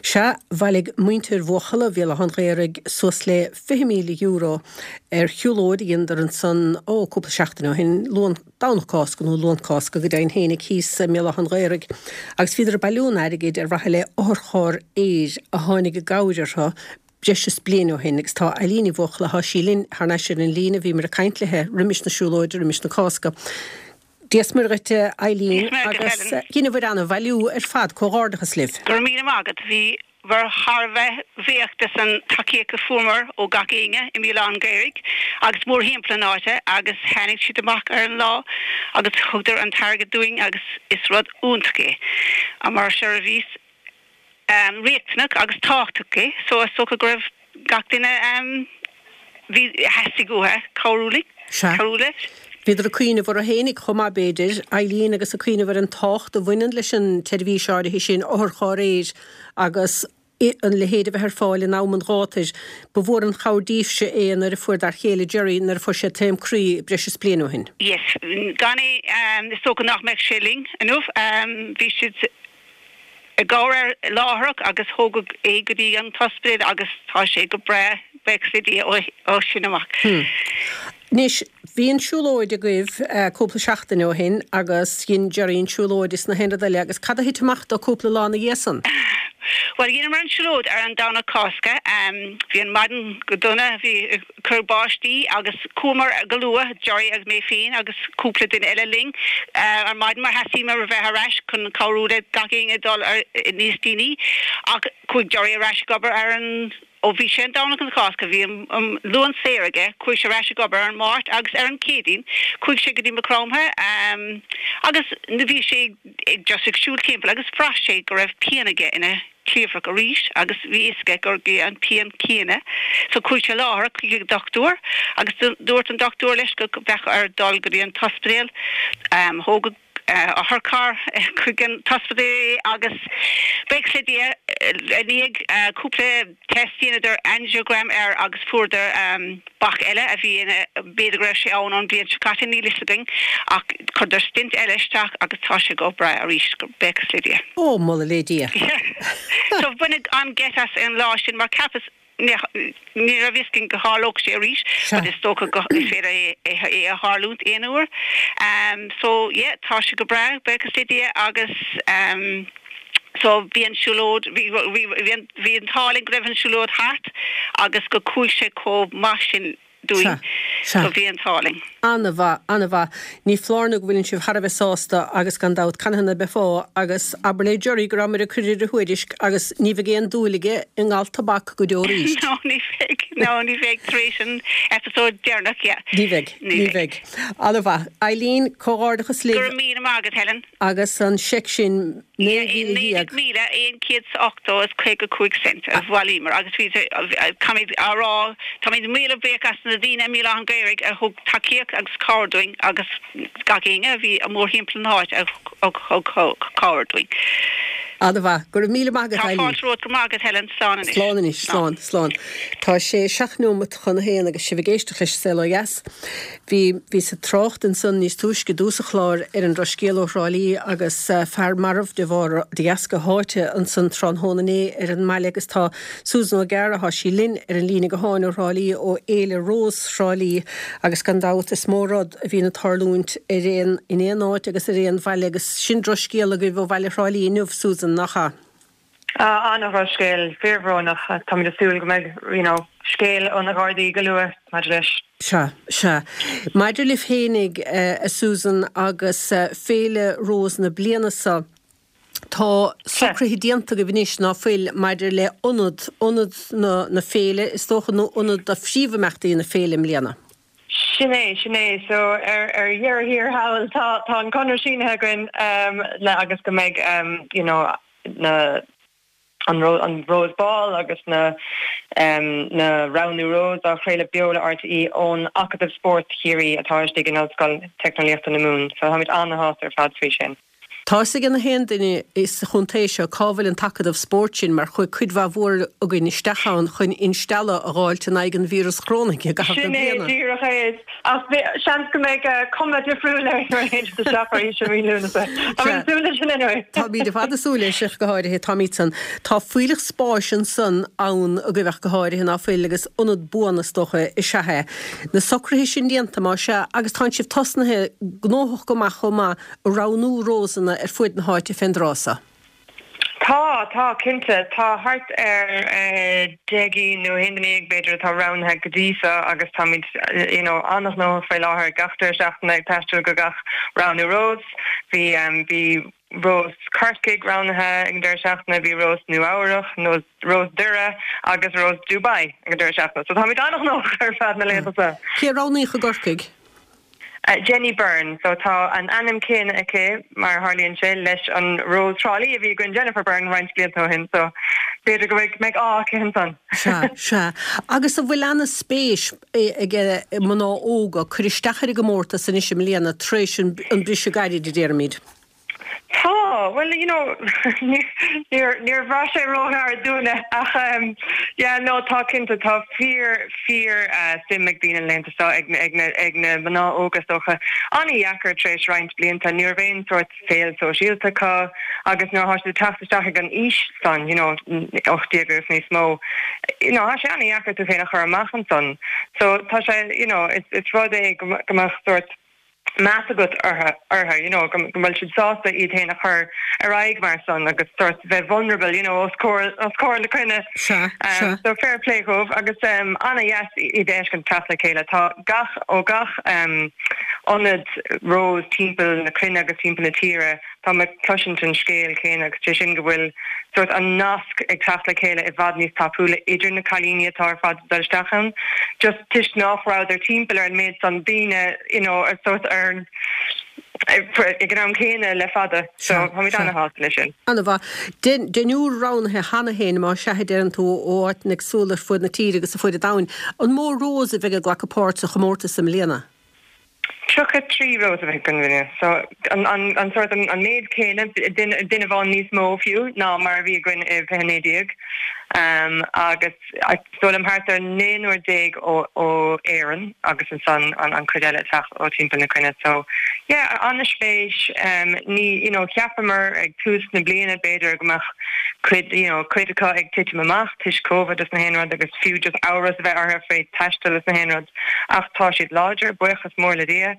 Sea, bhailigh muintir Bhuachalla Bhéal Átha an Ghaorthaidh suas le fiche míle euro ar shiúlóid a dheineadar ansan, ó, cúpla seachtain ó shin, Luan, Domhnach Cásca nó Luan Cásca go deimhin fhéinig thíos i mBéal Átha an Ghaorthaidh agus bhíodar ag bailiú an airgid ar mhaithe le otharcharr aeir a tháinig i gcabhair orthu breis is bliain ó shin agus tá Eileen Ní Bhuachalla, thá sí linn thar n-ais ar an líne, bhíomar ag caint léithe roimis na siúlóide, roimis na Cásca. Dia 's Muire dhuit a Eileen agus dheineabhair an-bhailiú ar fad, comhghairdeachas libh. Go raibh míle maith agat. Bhíomar thar a bheith bhuíoch des an tacaíocht a fuaireamar ó gach éinne i mBéal Átha an Ghaorthaidh agus mórthimpeall an áite agus tháinig siad amach ar an lá agus thugadar an t-airgead dúinn agus is rud iontach é mar seirbhís riachtanach agus tábhachtach é so is dócha go raibh gach duine bhí theastaigh uathu cabhrú linn, Sea. cabhrú leis. Bhíodar ag cuimhneamh orthu fhéinig chomh maith b'fhéidir, Eileen agus ag cuimhneamh ar an tábhacht a bhaineann leis an tseirbhís áirithe sin, otharcharr aeir agus an leithéid a bheith ar fáil in am an ghátair. Ba mhór an chabhair daoibhse é nuair a fuair d'fhear chéile Gerry, nuair a fuair sé taom croí breis is bliain ó shin. Yes, gan é is dócha nach mbeadh sé linn inniu. Bhí siad i gcabhair air láithreach agus thógadh é go dtí an t-ospidéal agus tá sé go breá, buíochas le Dia, ó sin amach. Anois, bhí an siúlóid agaibh cúpla seachtain ó shin agus dhein Gerry an siúlóid is na haon rud eile agus cad a thit amach dó cúpla lá ina dhiaidh san? Bhuel, dheineamar an siúlóid ar an Domhnach Cásca. Bhí an maidin go dona, bhí cur báistí agus chuamar go luath, Gerry agus mé féin agus cúpla duine eile linn, ar maidin mar theastaíomar a bheith ar ais chun cabhrú le gach éinne dul ar níos déanaí ach chuaigh Gerry ar ais ag obair ar an, ó bhí sé an Domhnach an Chásca, bhí an Luan saor aige, chuaigh sé ar ais ag obair ar an Máirt agus ar an Chéadaoin chuaigh sé go dtí Maigh Chromtha agus bhí sé ag just ag siúl timpeall agus bhraith sé go raibh pian aige ina chliabhrach arís agus bhí fhios aige gurb é an pian céanna so chuaigh sé láithreach chuig an dochtúir agus dúirt an dochtúir leis go mbeadh air dul go dtí an t-ospidéal. Thógadh otharcharr chuig an t-ospidéal agus buíochas le Dia i ndiaidh cúpla test dheineadar angiogram air agus fuaireadar bac eile a bhí ina b'fhéidir go raibh sé ann ón bhliain seo caite níl fhios againn ach chuireadar stent eile isteach agus tá sé go breá arís buíochas le Dia. Ó, moladh le Dia. So baineadh an-gheit as an lá sin mar cheapas ní raibh fhios againn go tharlódh sé arís but is dócha go is féidir é é a tharlúint aon uair. Um, so yeah, tá sé go breá buíochas le Dia agus um, so bhí an siúlóid bhí bhí bhí an t-ádh linn go raibh an siúlóid thart agus go chuaigh sé chomh maith sin dúinn so bhí an t-ádh linn. An-mhaith, an-mhaith. Ní foláir nó go bhfuileann sibh thar a bheith sásta agus gan dabht canathaobh ná beifeá agus abair le Jerry go rabhamar ag cur ar a thuairisc agus ní bheidh aon dúil aige i ngal tobac go deo arís. No ní bheidh no ní bheidh tar éis an episode deireanach yeah. Ní bheidh, ní bheidh. An-mhaith. Eileen, comhghairdeachas libh. Go raibh míle maith agat Helen. Agus an seic sin naoi mhíle déag. Míle aon chéad is ochtó is caoga cúig cent a bhailíomar agus bhí táimid á rá táimid míle buíoch as na daoine i mBéal Átha an Ghaorthaidh a thug tacaíocht agus cabhair dúinn agus gach éinne a bhí mórthimpeall na háite a thug cabhair dúinn. An-mhaith, go raibh míle maith agat Tá fáilte romhat go maith agat Helen slán anois. Slán anois, slán, slán. Tá sé seacht nóimeat chun a haon agus sibh ag éisteacht leis an Saol Ó Dheas. Bhí bhíos ag trácht ansan níos túisce i dtús an chláir ar an drochscéal ó Thrá Lí agus fear marbh de bharr de dheasca sháite ansan tráthnóna inné ar an mbaile agus tá Susan O'Gara, tá sí linn ar an líne gutháin ó Thrá Lí ó Fhéile Rós Thrá Lí agus gan dabht is mó rud a bhíonn ag tarlúint ar aon in aon áit agus ar aon bhaile agus sin drochscéal agaibh ó bhaile Thrá Lí inniu Susan nach ea? Ah, an-dhrochscéal, fíorbhrónach. Táimid ag súil go mbeidh, you know, scéal ó na Gardaí go luath maidir leis. Sea, sea. Maidir libh fhéinig, a Susan, agus Féile Rós na bliana seo, tá socruithe déanta agaibh anois, ná fuil, maidir le ionad, ionad na, na féile, is dócha, nó ionad do phríomhimeachtaí na féile i mbliana? Sin é, sin é. So ar ar dheireadh thiar thall tá tá an conradh sínithe againn um, le agus go mbeidh um, you know, na an ro an Rose Ball agus na um, na roghnú Rose á chraoladh beo le RTÉ ón Acadamh Spóirt Chiarraí atá istigh in Ollscoil Teicneolaíochta na Mumhan. So táimid an-shásta ar fad faoi sin. Tá fhios ag na haon duine sa chontae seo cá bhfuil an tAcadamh Spóirt sin mar chuaigh cuid mhaith mhór againn isteach ann chun instealladh a dh'fháilt in aghaidh an víreas chorónaigh i gcaitheamh na Sin é bliana. díreach é. Ach seans go mbeidh cuma difriúil air nuair a théann siad isteach arís i mí Lúnasa. Táimid ag súil leis sin anyway. Táimid ar fad ag súil leis ach go háirithe. Táimid san. Tá fuílleach spáis ansan ann agaibh ach go háirithe ná fuil agus ionad buan is dócha is ea é. Na socruithe sin déanta más ea agus tánn sibh tosnaithe gnóthach go maith chomh maith ag roghnú rósanna ar fuaid na háite fén dtráth seo. Tá, tá, cinnte. Tá thart ar deich gcinn nó haon duine dhéag b'fhéidir atá roghnaithe go dtí seo agus táimid you know an-ghnóthach faoi láthair gach deireadh seachtaine ag taisteal go gach roghnú rós. Bhí bhí Rós Corcaigh roghnaithe ag an deireadh seachtaine, bhí Rós Nua Eabhrach, nó Rós Doire agus Rós Dubai ag an deireadh seachtaine. So táimid an-ghnóthach ar feadh na laethanta seo. Cé a roghnaíodh i gCorcaigh? Jenny Byrne, so tá an ainm céanna aici, mar a tharlaíonn sé, leis an Rós Thrá Lí a bhí againn, Jennifer Byrne, roinnt blianta ó shin, so b'fhéidir go mbeidh ádh aici ansan. Sea, sea. Agus an bhfuil ana-spéis ag mná óga cur isteach ar an gcomórtas anois i mbliana tar éis an briseadh gairid, a déarfaimid? Tá, bhuel, you know, níor níor bhraith sé róghar dúinne ach um, yeah, no, tá cinnte, tá fíor fíor uh, suim ag daoine laethanta seo ag ag na ag na mná óga is dócha. An-dheacair tar éis roinnt blianta, ní raibh aon sórt saol sóisialta acu agus nuair atá siad ag teacht isteach ag an aois san, you know, ocht déag agus níos mó, you know, tá sé an-dheacair tú féin a chur amach ansan. So tá sé, you know, it's, it's rud é go go mbeadh sórt meas agat orthu, orthu, you know, go bhfuil siad sásta iad féin a chur ar aghaidh mar san agus sort bheith vulnerable, you know, os comhair os comhair na cruinne. Sea, sea. So fair play dhóibh agus um, an-dheas iad a fheiscint teacht le chéile. Tá gach ó gach um, ionad Rose timpeall na cruinne agus timpeall na tíre, tá mé ag cloisint an scéal céanna agus sé sin go bhfuil sort an nasc ag teacht le chéile i bhfad níos tapúla idir na cailíní atá ar fad ag dul isteach ann. Just toisc nach rabhadar timpeall ar an méid san daoine, you know, ar sort ar ag an am céanna le fada. So táimid ana-shásta leis sin. Ana-mhaith. Deichniúr roghnaithe cheana féin má sea a deireann tú ó áiteanna éagsúla ar fud na tíre agus ar fud an domhain. An mó Rose a bheidh ag glacadh páirt sa chomórtas i mbliana? Tríocha trí rós a bheidh againn i mbliana. So an an an sort an an méid céanna, duine duine amháin níos mó fiú ná mar a bhí againn i fiche naoi déag. Um agus is dóigh liom thart ar naonúr déag ó ó Éirinn agus ansan an an cuid eile ag teacht ó timpeall na cruinne. So yeah, an-spéis. Um ní you know cheapamar ag tús na bliana b'fhéidir go mbeadh cuid you know cuid acu ag titim amach toisc Covid is na haon rud agus fiú just amhras a bheith orthu fé taisteal is na haon rud ach tá siad láidir, buíochas mór le Dia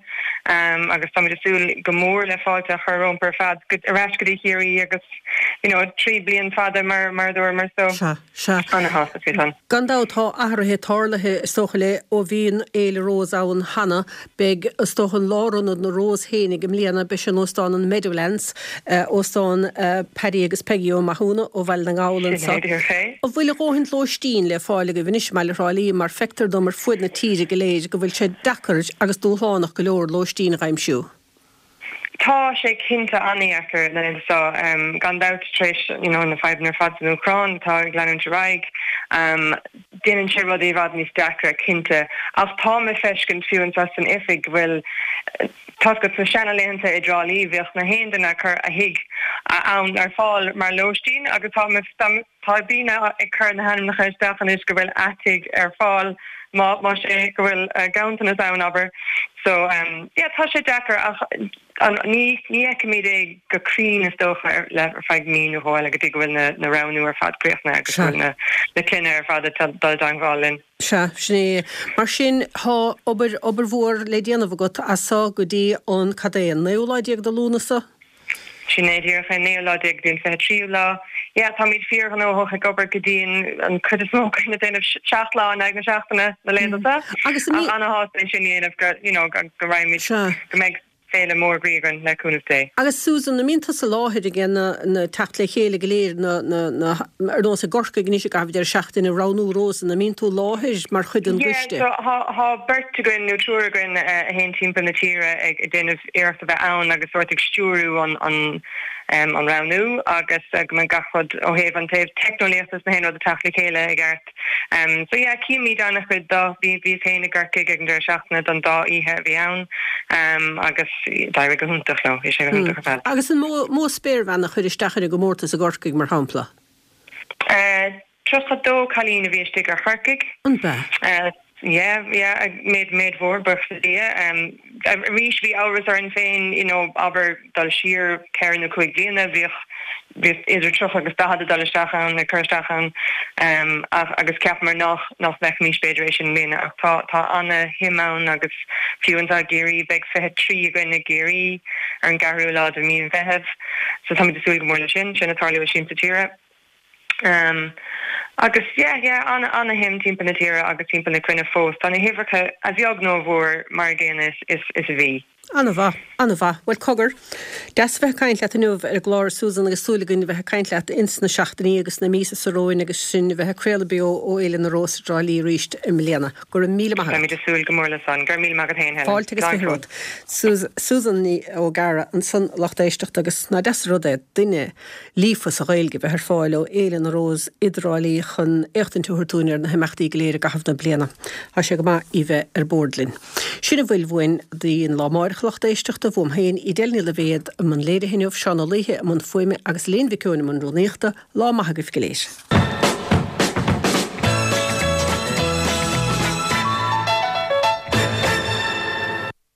um agus táimid ag súil go mór le fáilte a chur rompu ar fad go ar ais go dtí Ciarraí agus you know trí bliain fada mar mar a dúramar so Sea, sea. ana-shásta faoi san. Gan dabht tá athruithe tarlaithe is dócha le ó bhí an Fhéile Rós ann cheana. Beidh is dócha an lárionad na Rós fhéinig i mbliana, beidh sé in Óstán an Meadowlands, Óstán Paddy agus Peggy Ó Mathúna ó Bhaile na nGall Sin anso. é díreach é. An bhfuil a dhóthain lóistín le fáil agaibh anois i mbaile Thrá Lí mar feictear dom ar fuaid na tíre go léir go bhfuil sé deacair agus dúshlánach go leor lóistín a aimsiú. Tá sé cinnte an-deacair na laethanta seo, gan dabht tar éis you know na fadhbanna ar fad san Úcráin atá ag leanúint ar aghaidh. Déanann sé rudaí i bhfad níos deacra cinnte. Ach táim ag feiscint fiú anseo san oifig go bhfuil tá's agat sna seana-laethanta i dTrá Lí bhíodh na haon duine ag cur a thigh ann ar fáil mar lóistín agus tá tá daoine ag cur na hainmneacha isteach anois go bhfuil a dtigh ar fáil má má sé go bhfuil ganntanas ann abair. So yeah tá sé deacair ach an ní ní fheicfimid é go cruinn is dócha ar le ar feadh mí nó dhó eile go dtí go bhfuil na na roghnú ar fad críochnaithe agus go bhfuil na na clainne ar fad ag dul i dteangmháil linn. Sea, sin é. Mar sin tá obair obair mhór le déanamh agat as so go dtí an cad é an naoú lá déag de Lúnasa? Sin é díreach an naoú lá déag go dtí an fiche tríú lá. Yeah, táimid fíorghnóthach ag obair go dian an chuid is mó againn ag déanamh seacht lá in aghaidh na seachtaine na laethanta seo. Agus an Ach ana-shásta é sin a dhéanamh go, you know, go go raghaimid, Sea. go mbeidh féile mór groí againn le cúnamh Dé. Agus Susan, an mbíonn tusa i láthair ag na na teacht le chéile go léir na na na ar nós i gCorcaigh anois i gcaitheamh deireadh seachtaine roghnú rósanna, an mbíonn tú i láthair mar chuid den Yeah, gcoiste? so thá thá beirt againn nó triúr againn a théann timpeall na tíre ag ag déanamh iarracht a bheith ann agus sórt ag stiúrú an an um an roghnú agus go mbeidh gach rud ó thaobh an taobh teicneolaíochta is na haon rud ag teacht le chéile i gceart. Um so yeah címid an-chuid de bhí bhíos féin i gCorcaigh ag an deireadh seachtaine don dá oíche a bhí ann um agus d'éirigh go hiontach leo, bhí sé go hiontach ar fad. Agus an mó mó spéirbhean a chuir isteach ar an gcomórtas i gCorcaigh mar shampla? Uh tríocha dó cailín a bhí istigh ar Chorcaigh. An b'ea? Uh yeah yeah méid méid mhór buíochas le Dia. Um arís bhí amhras orainn féin you know abair dul siar ceithre nó cúig bliana bhíodh bhí idir tríocha agus daichead ag dul isteach ann ag cur isteach ann um ach agus cheapamar nach nach bhfeicfimis b'fhéidir é sin i mbliana ach tá tá ana-shuim ann agus fiú anseo i gCiarraí beidh fiche trí againn i gCiarraí ar an gceathrú lá de mhí an Mheithimh so táimid ag súil go mór le sin sin ag tarlú i Siamsa Tíre. Um agus yeah yeah ana ana-shuim timpeall na tíre agus timpeall na cruinne fós. Tá na huimhreacha a bheag nó a mhór mar an gcéanna is is is a bhí. Ana-mhaith, ana-mhaith. Bhuel cogar, deas a bheith ag caint leat inniu ar an gclár a Susan agus súil againn a bheith ag caint leat ins na seachtainí agus na míosa seo romhainn agus sinn a bheith ag craoladh beo ó Fhéile na Rós i dTrá Lí arís i mbliana. Go raibh míle maith agat. Táimid ag súil go mór le san. Go raibh míle maith agat féin Helen. Fáilte agus Slán fiche go romhat. Susan Ní Ógara ansan lucht éisteachta agus nach deas an rud é duine líofa sa Ghaeilge bheith ar fáil ó Fhéile na Rós i dTrá Lí chun éachtaint a thabhairt dúinn ar na himeachtaí go léir i gcaitheamh na bliana. Tá sé go maith í bheith ar bord linn. Sin a bhfuil uainn don lá amárach a lucht éisteachta uaim féin Edel Ní Loibhéad i mbun léirithe inniu Seán Ó Laoithe i mbun fuaime agus Léan Mhic Eoin i mbun rúnaíochta, lá maith agaibh go léir.